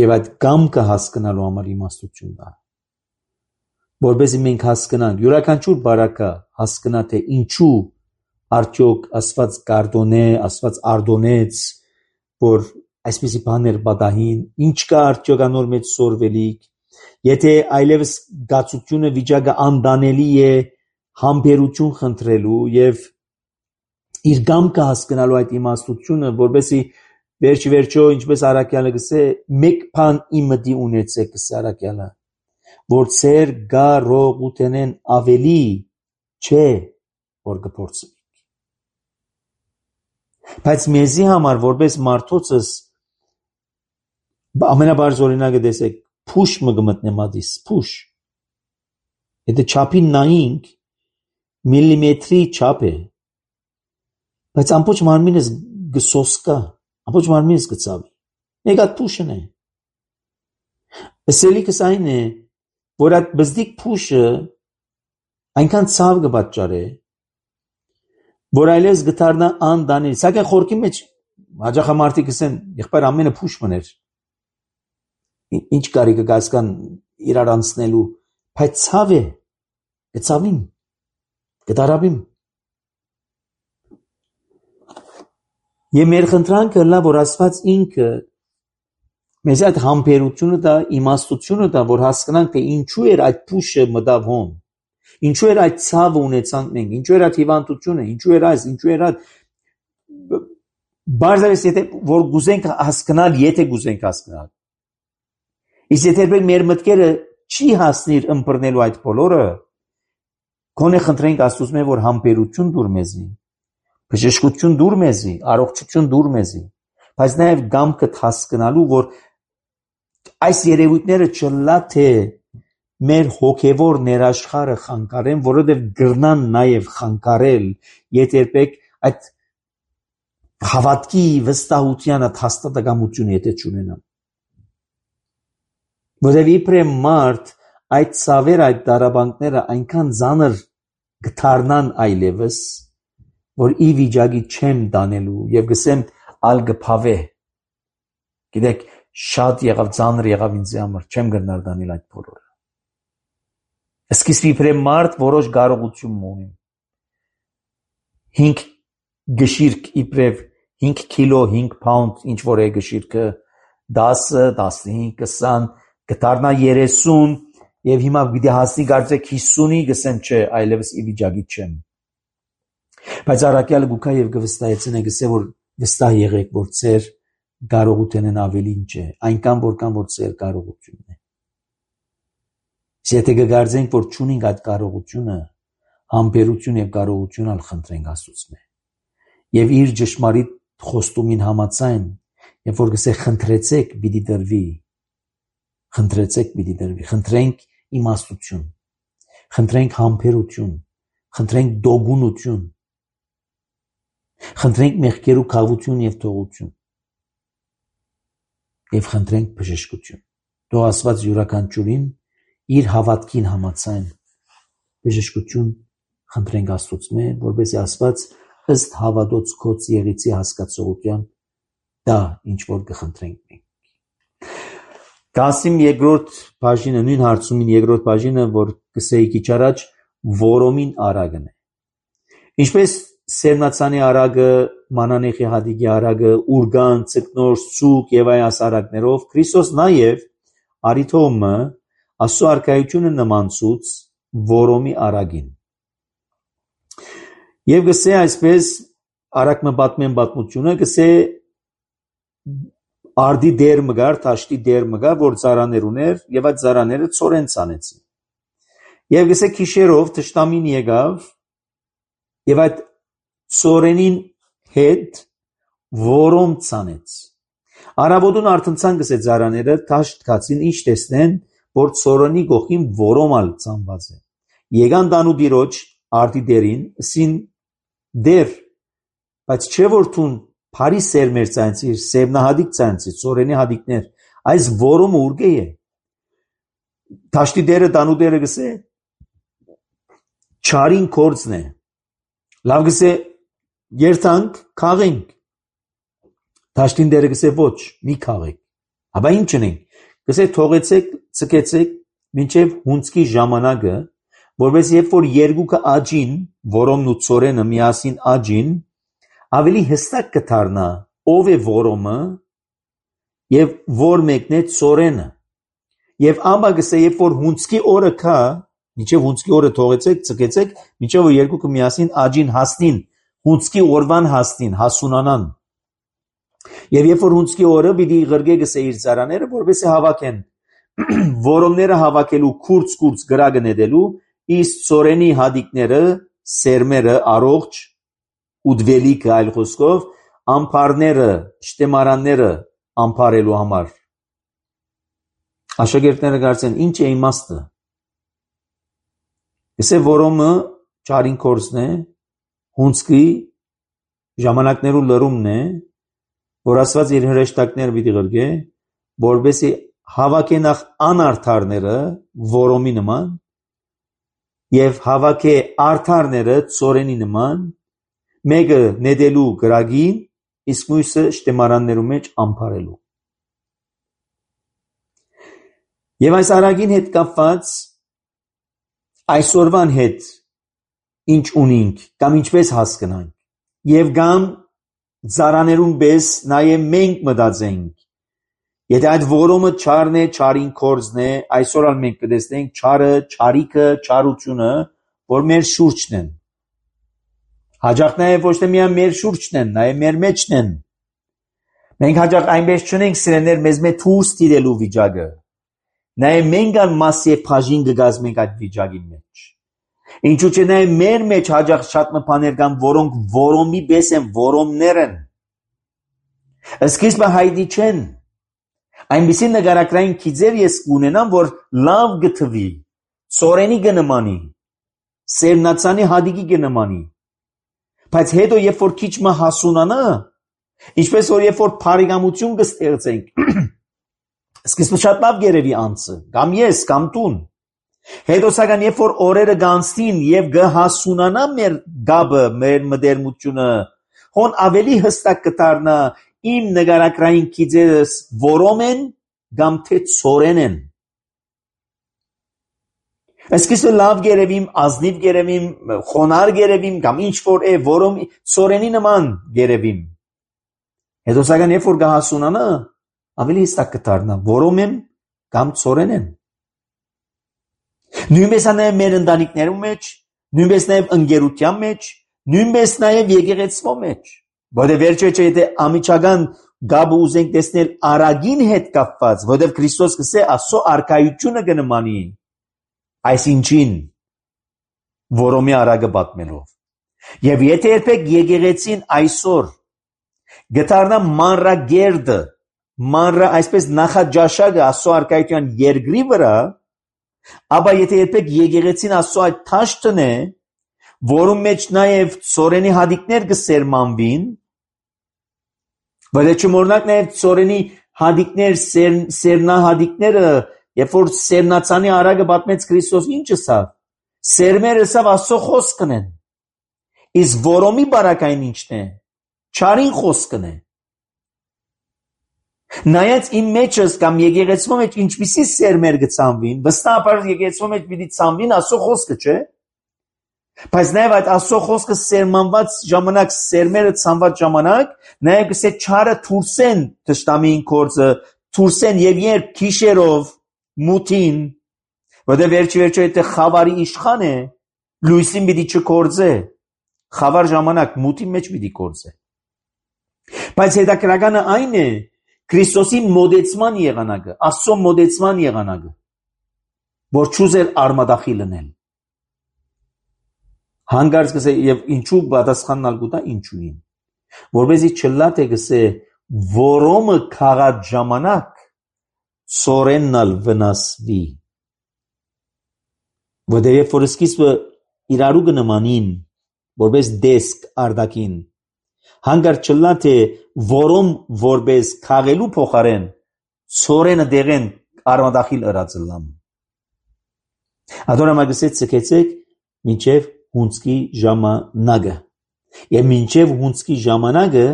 եւ այդ գամքը հասկանալու համար իմաստություն տա որովհետեւ մենք հասկանանք յուրաքանչյուր բարակա հասկանա թե ինչու արդյոք Աստված կարդոնե, Աստված արդոնեց, որ այսպիսի բաներ պատահին, ինչ կա արդյոք անոր մեջ սորվելիք, եթե այլևս գացությունը վիճակը անդանելի է համբերություն խնդրելու եւ իր գամքը հասկանալու այդ իմաստությունը, որովհետեւ վերջ վերջո ինչպես Արաքյալը գսե մեկ բան իմդի ունեցեք գսե Արաքյալը, որ ծեր գարողութենեն ավելի չէ որ կփորձի բայց մեզի համար որպես մարդոցս ամենաբարձ օրինակը տեսեք փուշ մը գմտնե մատիս փուշ եթե չափին նայինք միլիմետրի չափ է բայց ամբողջ մարմինս գսոսկա ամբողջ մարմինս գծավի մեկ հատ փուշն է ասելիքս այն է որ այդ բզդիկ փուշը այնքան ցավ կպատճառե որ այլևս գտարնա անդանելի սակայն խորքի մեջ հաջախամարտիկ ասեն եղբայր ամենը փուշ մներ ինչ կարի կգասկան իրար անցնելու բայց ցավ է գծավին գդարաբին եւ մեր խնդրանքը լա որ Աստված ինքը մեզ այդ համբերությունը դա իմաստությունը դա որ հասկանանք թե ինչու էր այդ փուշը մտավ հոն ինչու էր այդ ցավը ունեցանք մենք ինչու էր այդ հիվանդությունը ինչու էր այս ինչու էր այդ բարձրացի եթե որ գուզենք հասկանալ եթե գուզենք հասկանալ իսկ եթե մեր մտքերը չի հասնիր ըմբռնելու այդ բոլորը կոնե խնդրենք Աստծուց որ համբերություն դուր մեզի բժշկություն դուր մեզի առողջություն դուր մեզի բայց նաև գամքը հասկանալու որ այս երևույթները չլա թե մեր հոգևոր ներաշխարը խանգարեն, որովհետև գրնան նաև խանգարել, եթե երբեք այդ հավատքի վստահության հաստատակամությունը եթե չունենամ։ Որովհետև իբրև մարդ այդ ցավեր, այդ դարաբանքները այնքան ծանր գթարնան այլևս, որ ի վիճակի չեմ դանելու եւ գսեմ ալ գփավե։ Գիտեք, շատ եղավ ծանր եղավ ինձ համար, չեմ գնար դանել այդ բոլորը։ Սկիզբ իբրև մարդ որոշ կարողություն ունի։ հինգ գշիրք իբրև հինգ կիլո, հինգ pound ինչ որ է գշիրքը, դասը, տասնհինգ, կսան, գտարնա երեսուն եւ հիմա պիտի հասնի կարծեք հիսունի, գսեմ չէ, այլևս ի վիճակի չեմ։ Բայց առաքյալը գուքա եւ գվստահեցնե գսե որ վստահ եղեք որ ծեր կարողությունն ավելին չէ, այնքան որքան որ ծեր կարողությունն է։ Եթե կգարձենք որ չունենք այդ կարողությունը, համբերություն եւ կարողություն ալ խնդրենք Աստծուց։ Եվ իր ճշմարիտ խոստումին համաձայն, երբ որ գսե խնդրեցեք, պիտի դրվի։ Խնդրեցեք, պիտի դրվի։ Խնդրենք իմաստություն, խնդրենք համբերություն, խնդրենք դոգունություն, խնդրենք մեղքերու քավություն եւ թողություն եւ խնդրենք բժշկություն։ Թող Աստված յուրաքանչյուրին իր հավատքին համաձայն բժշկություն խնդրենք Աստծուց, որպեսզի Աստված ըստ հավատոց կոց եղիցի հասկացողության դա ինչ որ կխնդրենք մենք։ Գասիմ երկրորդ բաժինը, նույն հարցումին երկրորդ բաժինը, որ կսեի քիչ առաջ, որոմին արագն է։ Ինչպես Սերնացանի արագը, Մանանեխի հադիգի արագը, ուրգան, ցկնոր, ցուկ եւ այ ասարակներով, Քրիստոս նաեւ արիթոմը Աստծո արքայությունը նմանցուց որոմի արագին։ Եվ գսե այսպես արագ մը պատմեն պատմությունը, գսե արդի դեր մգար, տաշտի դեր մգար, որ ծարաներ ուներ, եւ այդ ծարաները ծորեն ցանեցին։ Եվ գսե քիշերով թշտամին եկավ, եւ այդ ծորենին հետ որոմ ցանեց։ Արաբոդուն արթնցան գսե ծարաները տաշտ կացին, ինչ տեսնեն, որ ծորենի գողին որոմալ ցանված է։ Եկան դանուդիրոջ արդի դերին, սին դեր, բայց չէ որ թուն Փարի սերմեր ցանցիր, սերմնահադիկ ցանցի, ծորենի հադիկներ, այս որոմը ուրգե է։ Տաշտի դերը դանուդերը գսե չարին կորձն է։ Լավ գսե երթանք, քաղենք։ Տաշտին դերը գսե ոչ, մի քաղեք։ Հաբա ինչ ունենք։ Գսե թողեցեք, ցկեցեք, մինչև հունցքի ժամանակը, որպես երբ որ երկուքը աջին, որոմն ու ծորենը միասին աջին, ավելի հստակ կդառնա ով է որոմը եւ որ մեկն է ծորենը։ Եվ ամա գսե երբ որ հունցքի օրը կա, մինչև հունցքի օրը թողեցեք, ցկեցեք, մինչև որ երկուքը միասին աջին հասնին, հունցքի օրվան հասնին, հասունանան։ Եվ երբ որ հունցքի օրը պիտի ղրգե գսե իր ծարաները, որպես է հավաքեն որոմները հավաքելու քուրց-քուրց գրագը նետելու, իսկ ծորենի հադիկները, սերմերը առողջ ուդվելիքը այլ խոսքով, ամփարները, շտեմարանները ամփարելու համար։ Աշակերտները կարծեն ինչ է իմաստը։ Գսե որոմը չարին կորձն է, հունցքի ժամանակներու լրումն է, որ Աստված իր հրեշտակները պիտի ղրգե, որպեսզի հավաքե նախ անարդարները որոմի նման եւ հավաքե արդարները ծորենի նման, մեկը նետելու գրագին, իսկ մյուսը շտեմարաններու մեջ ամփարելու։ Եվ այս արագին հետ կապված այսօրվան հետ ինչ ունենք, կամ ինչպես հասկանանք, եւ կամ ծարաներուն պես նաեւ մենք մտածենք, եթե այդ որոմը չարն է, չարին կորձն է, այսօր ալ մենք կտեսնենք չարը, չարիքը, չարությունը, որ մեր շուրջն են։ Հաջող նաև ոչ թե միայն մեր շուրջն են, նաև մեր մեջն են։ Մենք հաջող այնպես չունենք սիրեներ մեզ մեծ դուրս տիրելու վիճակը։ Նաև մենք ան մաս եւ բաժին կգազմենք այդ վիճակի մեջ։ Ինչու՞ չէ նաև մեր մեջ հաջող շատ մփաներ կան, որոնք որոմի պես են, որոմներ են։ Սկիզբը հայտնի չեն։ Այնպիսի նկարագրային քիծեր ես կունենամ, որ լավ գտվի, ծորենի կնմանի, սերմնացանի հադիկի կնմանի։ Բայց հետո երբ որ քիչ մը հասունանա, ինչպես որ երբ որ բարեկամություն կստեղծենք, սկիզբը շատ լավ գերեվի անձը, կամ ես, կամ տուն։ Հետո սակայն երբ որ օրերը գանցնին եւ կհասունանա մեր գաբը, մեր մդերմությունը, հոն ավելի հստակ կդառնա իմ նկարագրային քիծերս որոմ են կամ թե ծորեն են։ Այսքիսը լավ գերևիմ, ազնիվ գերևիմ, խոնար գերևիմ կամ ինչ որ է որոմ ծորենի նման գերևիմ։ Հետո սակայն երբ որ կհասունանա, ավելի հստակ կդառնա որոմ են կամ ծորեն են։ Նույնպես նաև մեր ընտանիքներում մեջ, նույնպես նաև ընկերության մեջ, նույնպես նաև եկեղեցվո մեջ։ Որտեղ վերջը չէ եթե ամիջական գաբը ուզենք տեսնել արագին հետ կապված, որտեղ Քրիստոս կսե ասո արքայությունը կնմանի այսինչին որոմի արագը պատմելով։ Եվ եթե երբեք եկեղեցին այսօր գտարնա մանրագերդը, մանրը այսպես նախաճաշակը ասո արքայության երկրի վրա, ապա եթե երբեք եկեղեցին ասո այդ թաշտն է, որում մեջ նաև ծորենի հադիկներ կսերմանվին, բայց չմոռնանք նաև ծորենի հադիկներ, սեր, սերնահադիկները, երբ որ սերնացանի արագը պատմեց Քրիստոս ինչ ասավ, սերմերը ասավ ասո խոսքն են, իսկ որոմի բարակային ինչն է, չարին խոսքն է։ Նայած իմ մեջս կամ եկեղեցու մեջ ինչպիսի սերմեր կցանվին, վստահաբար եկեղեցու մեջ պիտի ցանվին ասո խոսքը, չէ՞։ Բայց նաև այդ ասո խոսքը սերմանված ժամանակ, սերմերը ցանված ժամանակ, նաև կսե չարը թուրսեն թշտամին կորձը, թուրսեն եւ երբ քիշերով մութին, որտեղ վերջի վերջո եթե խավարի իշխան է, լույսին պիտի չկորձե, խավար ժամանակ մութի մեջ պիտի կորձե։ Բայց հետաքրականը այն է, Քրիստոսի մոդեցման եղանակը, Աստծո մոդեցման եղանակը, որ չուզեր արմադախիլ լինել։ Հանգարց գսե եւ ինչու պատասխանալ գուտա ինչուին։ Որբեսի չլա թե գսե որոմը քաղած ժամանակ սորեննալ վնասվի։ Որտեղ երբ որ սկիզբը իրարու կնմանին, որպես դեսք արդակին, հանգարց չլա թե որոմ որպես քաղելու փոխարեն սորենը դեղեն արմադախիլ ըրածլամ։ Ադորամագսե ցկեցեք մինչև հունցքի ժամանակը։ Եվ մինչև հունցքի ժամանակը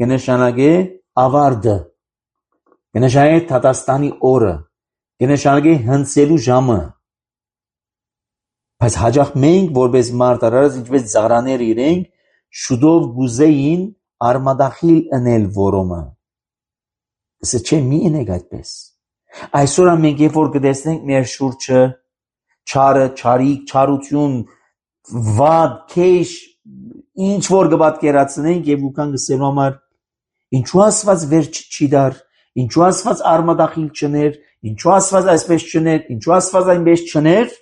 կնշանակե ավարտը, կնշանակե Թատաստանի օրը, կնշանակե հնցելու ժամը։ Բայց հաջող մենք որպես մարդ արարած ինչպես ծառաներ իրենք շուտով գուզեին արմադախիլ ընել որոմը։ Սա չէ մի ընեք այդպես։ Այսօր մենք երբ որ կտեսնենք մեր շուրջը չարը, չարիք, չարություն, վատ, քեշ, ինչ որ կպատկերացնենք եւ ուքան գսելու համար ինչու ասված վերջ չի դար, ինչու ասված արմադախիլ չներ, ինչու ասված այսպես չներ, ինչու ասված այնպես չներ,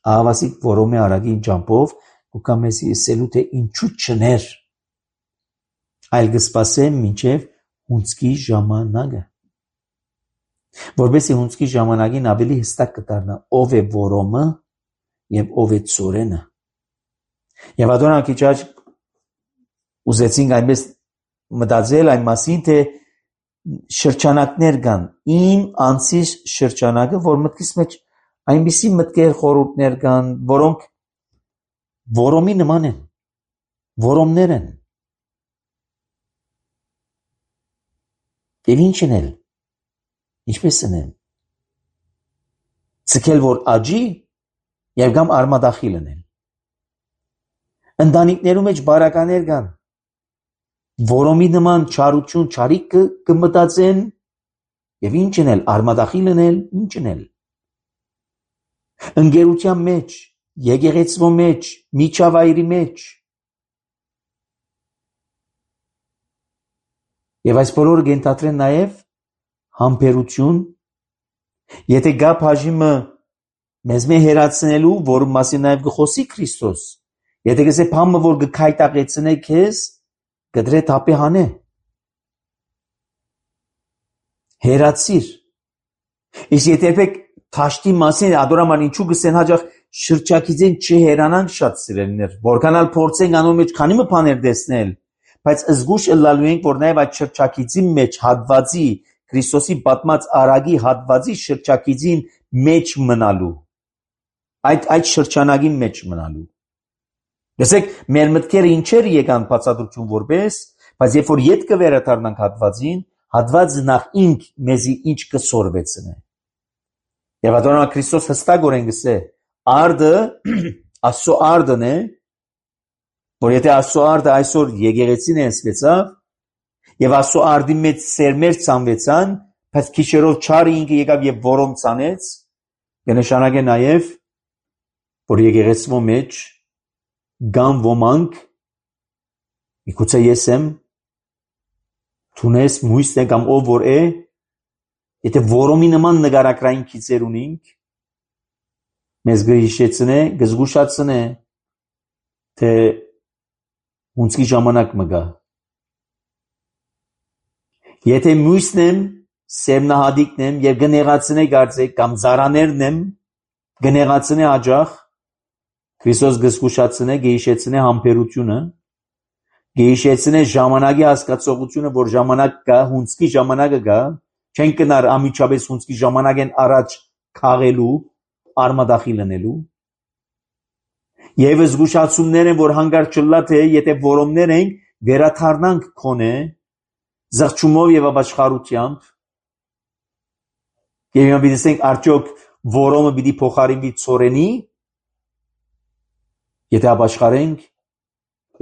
ահավասիկ որոմե արագի ջամփով ուքան մեզի ասելու թե ինչու չներ, այլ կսպասեմ մինչև հունցքի ժամանակը, որովհետեւ հունցքի ժամանակին ավելի հստակ կդառնա ով է որոմը եւ ով է ծորենը։ Եվ ադոնա քիչ աջ ուզեցինք այնպես մտածել այն մասին, թե շրջանակներ կան, իմ անցիս շրջանակը, որ մտքիս մեջ այնպիսի մտքեր խորհուրդներ կան, որոնք որոմի նման են, որոմներ են։ Եվ ինչ են էլ, ինչպես են էլ, ցկել որ աջի եւ կամ արմադախիլ են։ Ընտանիքներու մեջ բարականեր կան, որոմի նման չարություն, չարիք կմտածեն եւ ինչ են էլ, արմադախիլ են, ինչ են էլ։ Ընկերության մեջ, եկեղեցվո մեջ, միջավայրի մեջ։ Եվ այս բոլորը կենթադրեն նաև համբերություն, եթե գա բաժիմը մեզ մե հերացնելու, որում մասին նաև կխոսի Քրիստոս, եթե կսե բամը, որ կքայտակեցնե քեզ, կդրե թապի հանե։ Հերացիր։ Իսկ եթե երբեք թաշտի մասին ադորաման ինչու գսեն հաջող շրջակիցեն չհերանանք շատ սիրելիներ, որքանալ փորձենք անոր մեջ քանի մը բաներ տեսնել, բայց զգուշ ըլլալու ենք, որ նաև այդ շրջակիցի մեջ հատվածի Քրիստոսի պատմած արագի հատվածի շրջակիցին մեջ մնալու, այդ այդ շրջանագի մեջ մնալու։ Լսեք, մեր մտքերը ինչեր եկան բացատրություն որպես, բայց երբ որ ետ կվերադառնանք հատվածին, հատվածը նախ ինք մեզի ինչ կսորվեցնե։ Եվ ադոնա Քրիստոս հստակորեն գսե, արդը Աստծո արդն է, որ եթե Աստծո արդը այսօր եկեղեցին է ասվեցավ, եւ Աստծո արդի մեջ սերմեր ցանվեցան, բայց քիշերով չարը ինքը եկավ եւ որոմ ցանեց, կնշանակե նաեւ, որ եկեղեցվո մեջ գան ոմանք, միգուցե ես եմ, թունես մույսն է կամ ով որ է, եթե որոմի նման նգարակրային քիծեր ունինք, մեզ գհիշեցնե, գզգուշացնե, թե հունցքի ժամանակ մը գա։ Եթե մույսն եմ, սերմնահադիկն եմ եւ գնեղացնե գարձեք կամ զարաներն եմ, գնեղացնե աջախ, Քրիստոս գզգուշացնե, գհիշեցնե համբերությունը, գհիշեցնե ժամանակի հասկացողությունը, որ ժամանակ կա, հունցքի ժամանակը գա, չեն կնար ամիջապես հունցքի ժամանակեն առաջ քաղելու, արմադախիլ ընելու։ Եվ զգուշացումներ են, որ հանգարց չլա թե եթե որոմներ ենք, վերաթարնանք քոնե, զղջումով եւ ապաշխարությամբ, եւ մենք դիտենք արդյոք որոմը պիտի փոխարինվի ծորենի, եթե ապաշխարենք,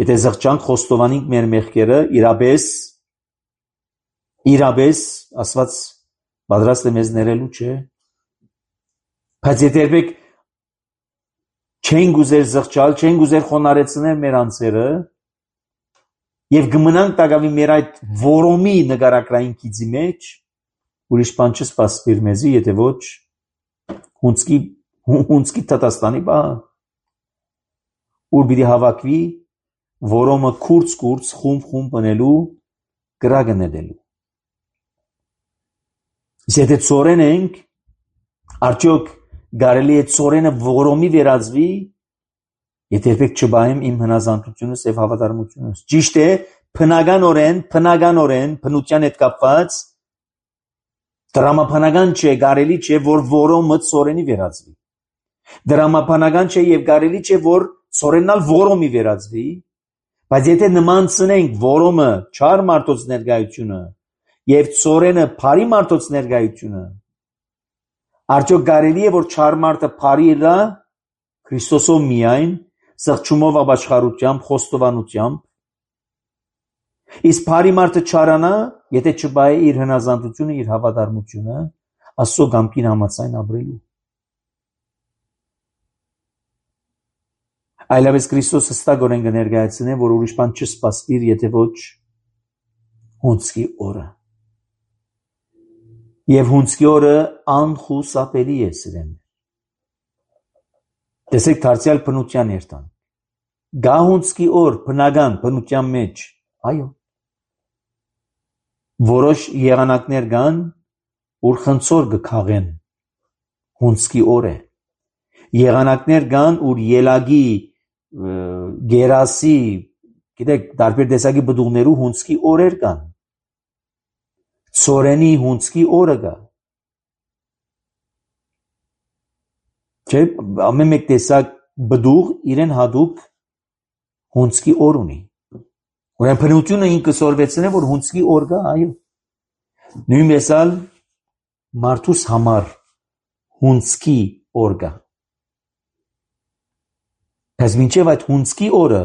եթե զղջանք, խոստովանենք մեր մեղքերը, իրապես, իրապես, ասված պատրաստ է մեզ ներելու, չէ։ Բայց եթե երբեք չեն գուզեր զղջալ, չեն գուզեր խոնարեցնել մեր անձերը, Եվ գմնանք տակավի մեր այդ որոմի նգարակրային կիծի մեջ, ուրիշ բան չսպասվիր մեզի, եթե ոչ հունցքի հունցքի Տատաստանի բան, ուր պիտի հավաքվի որոմը քուրց-քուրց խումբ-խումբ բնելու գրագը նետելու։ Եթե ծորեն ենք, արդյոք կարելի է ծորենը որոմի վերածվի, եթե երբեք չբայեմ իմ հնազանդությունս եւ հավատարմությունս։ Ճիշտ է, բնականորեն, բնականորեն, բնության հետ կապված դրամապանական չէ, կարելի չէ, որ որոմը ծորենի վերածվի։ Դրամապանական չէ եւ կարելի չէ, որ ծորենալ որոմի վերածվի, բայց եթե նման ցնենք որոմը չար մարդոց ներկայությունը եւ ծորենը բարի մարդոց ներկայությունը, արդյոք կարելի է, որ չար մարդը բարի լա Քրիստոսով միայն սղճումով ապաշխարությամբ, խոստովանությամբ, իսկ բարի մարդը չարանա, եթե չբայե իր հնազանդությունը, իր հավատարմությունը, Աստծո կամքին համաձայն ապրելու։ Այլապես Քրիստոս հստակորեն կներկայացնե, որ ուրիշ բան չսպասվիր, եթե ոչ հունցքի օրը։ Եվ հունցքի օրը անխուսափելի է սիրեն։ Տեսեք դարձյալ բնության երթան։ Գա հունցքի օր բնական բնության մեջ, այո։ Որոշ եղանակներ կան, ուր խնձոր կքաղեն, հունցքի օր է։ Եղանակներ կան, ուր ելագի, գերասի, գիտեք, տարբեր տեսակի բդուղներու հունցքի օրեր կան։ Ծորենի հունցքի օրը կա։ Չէ, ամեն մեկ տեսակ բդուղ իրեն հատուկ հունցքի օր ունի։ Ուրեմն բնությունը ինքը սորվեցնե, որ հունցքի օր կա, այո։ Նույնպես ալ մարդուս համար հունցքի օր կա։ Բայց մինչև այդ հունցքի օրը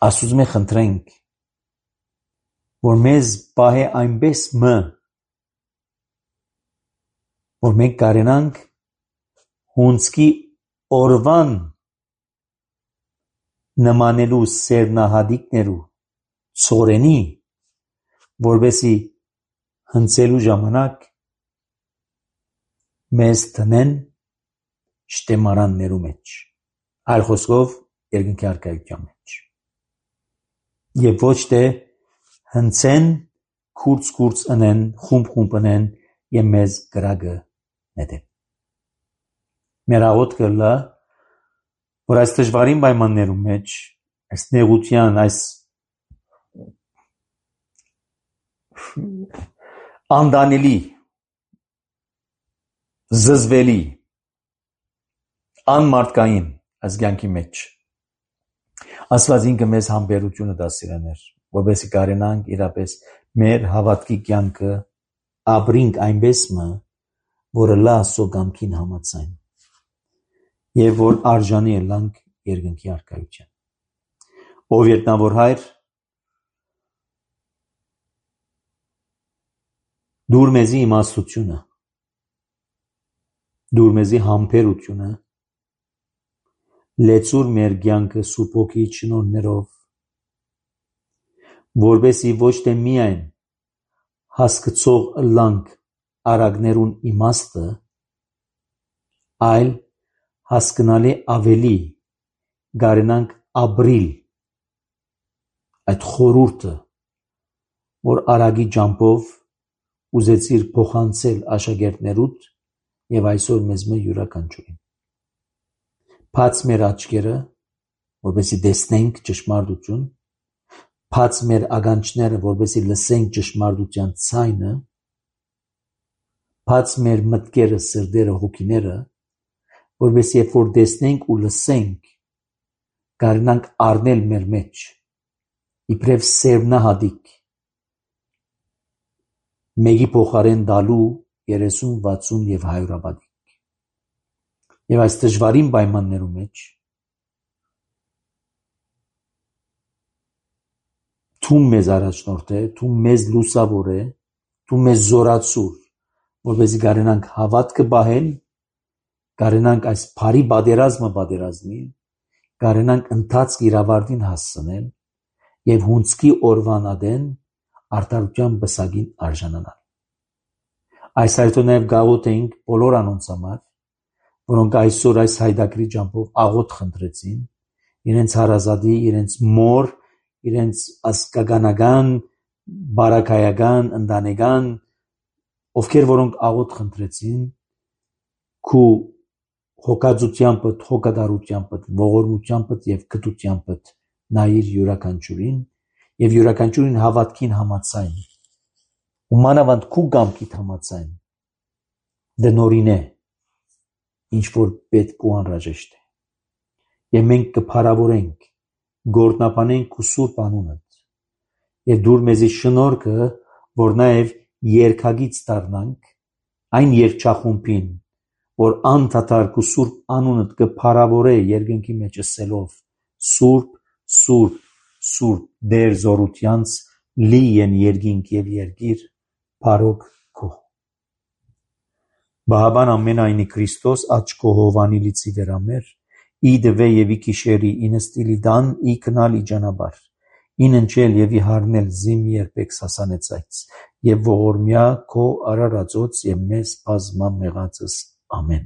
Աստծուց մենք խնդրենք, որ մեզ պահե այնպես մը, որ մենք կարենանք հունցքի օրվան նմանելու սերնահադիկներու ծորենի, որբեսի հնցելու ժամանակ մեզ տնեն շտեմարաններու մեջ, այլ խոսքով երկնքի առկայության մեջ։ Եվ ոչ թե հնցեն, քուրց-քուրց ընեն, խումբ-խումբ ընեն եւ մեզ գրագը նետեն։ Մեր աղոթքը լա, որ այս դժվարին պայմաններու մեջ, այս նեղության, այս անդանելի, զզվելի, անմարդկային այս կյանքի մեջ Աստված ինքը մեզ համբերությունը տա սիրաներ, որովհետեւ կարենանք իրապես մեր հավատքի կյանքը ապրինք այնպես մը, որը լա Աստծո կամքին համաձայն եւ որ արժանի է լանք երկնքի առկայության։ Ով երտնավոր Հայր, դուր մեզի իմաստությունը, դուր մեզի համբերությունը, լեցուր մեր կյանքը Սուրբ Հոգիի շնորհներով, որբեսի ոչ թե միայն հասկացող լանք արագներուն իմաստը, այլ հասկանալի ավելի գարենանք ապրիլ այդ խորուրդը, որ արագի ջամփով ուզեցիր փոխանցել աշակերտներուդ եւ այսօր մեզ մը յուրաքանչյուրին։ Բաց մեր աչքերը, որովհետեւ տեսնենք ճշմարտություն, բաց մեր ականջները, որովհետեւ լսենք ճշմարտության ցայնը, բաց մեր մտքերը, սրտերը, հոգիները, որովհետեւ երբ որ տեսնենք ու լսենք, կարողանանք առնել մեր մեջ իբրև սերնահատիկ մեկի փոխարեն դալու երեսուն, վաթսուն եւ հայրապատիկ։ Եվ այս դժվարին պայմաններու մեջ դու մեզ առաջնորդ է, դու մեզ լուսավոր է, դու մեզ զորացուր, որպեսզի կարենանք հավատքը պահել, կարենանք այս բարի պատերազմը պատերազմի կարենանք ընթացք իրավարտին հասցնել եւ հունցքի օրվանադեն արդարության բսակին արժանանալ։ Այս հայտը նաեւ գաղութ էինք բոլոր անոնց համար, որոնք այսօր այս հայդակրի ջամփով աղոթ խնդրեցին իրենց հարազատի, իրենց մոր, իրենց ասկականական, բարակայական, ընտանեկան, ովքեր որոնք աղոթ խնդրեցին քու հոգածությամբ, հոգադարությամբ, ողորմությամբ եւ գտությամբ նայիր յուրաքանչյուրին եւ յուրաքանչյուրին հավատքին համացայն ու մանավանդ քու գամքիդ համացայն դնորին է ինչ որ պետք ու անհրաժեշտ է եւ մենք կփարավորենք գործնապանենք ու սուրբ անունդ եւ դուր մեզի շնորհքը որ նաեւ երկագից դառնանք այն երկչախումբին որ անդադար ու սուրբ անունդ կփարավորե երկնքի մեջ ասելով սուրբ սուրբ սուրբ դեր զորությանց լի են երկինք եւ երգիր բարոք քո Բահաբան ամենայնի Քրիստոս աչքո հովանիլիցի վերամեր ի դվե եւ ի քիշերի ինստիլի դան ի կնալ ի ջանաբար ինընչել եւ ի հարնել զիմ երբեք սասանեցայց եւ ողորմյա քո արարածոց եւ մեզ բազմա մեղածս ամեն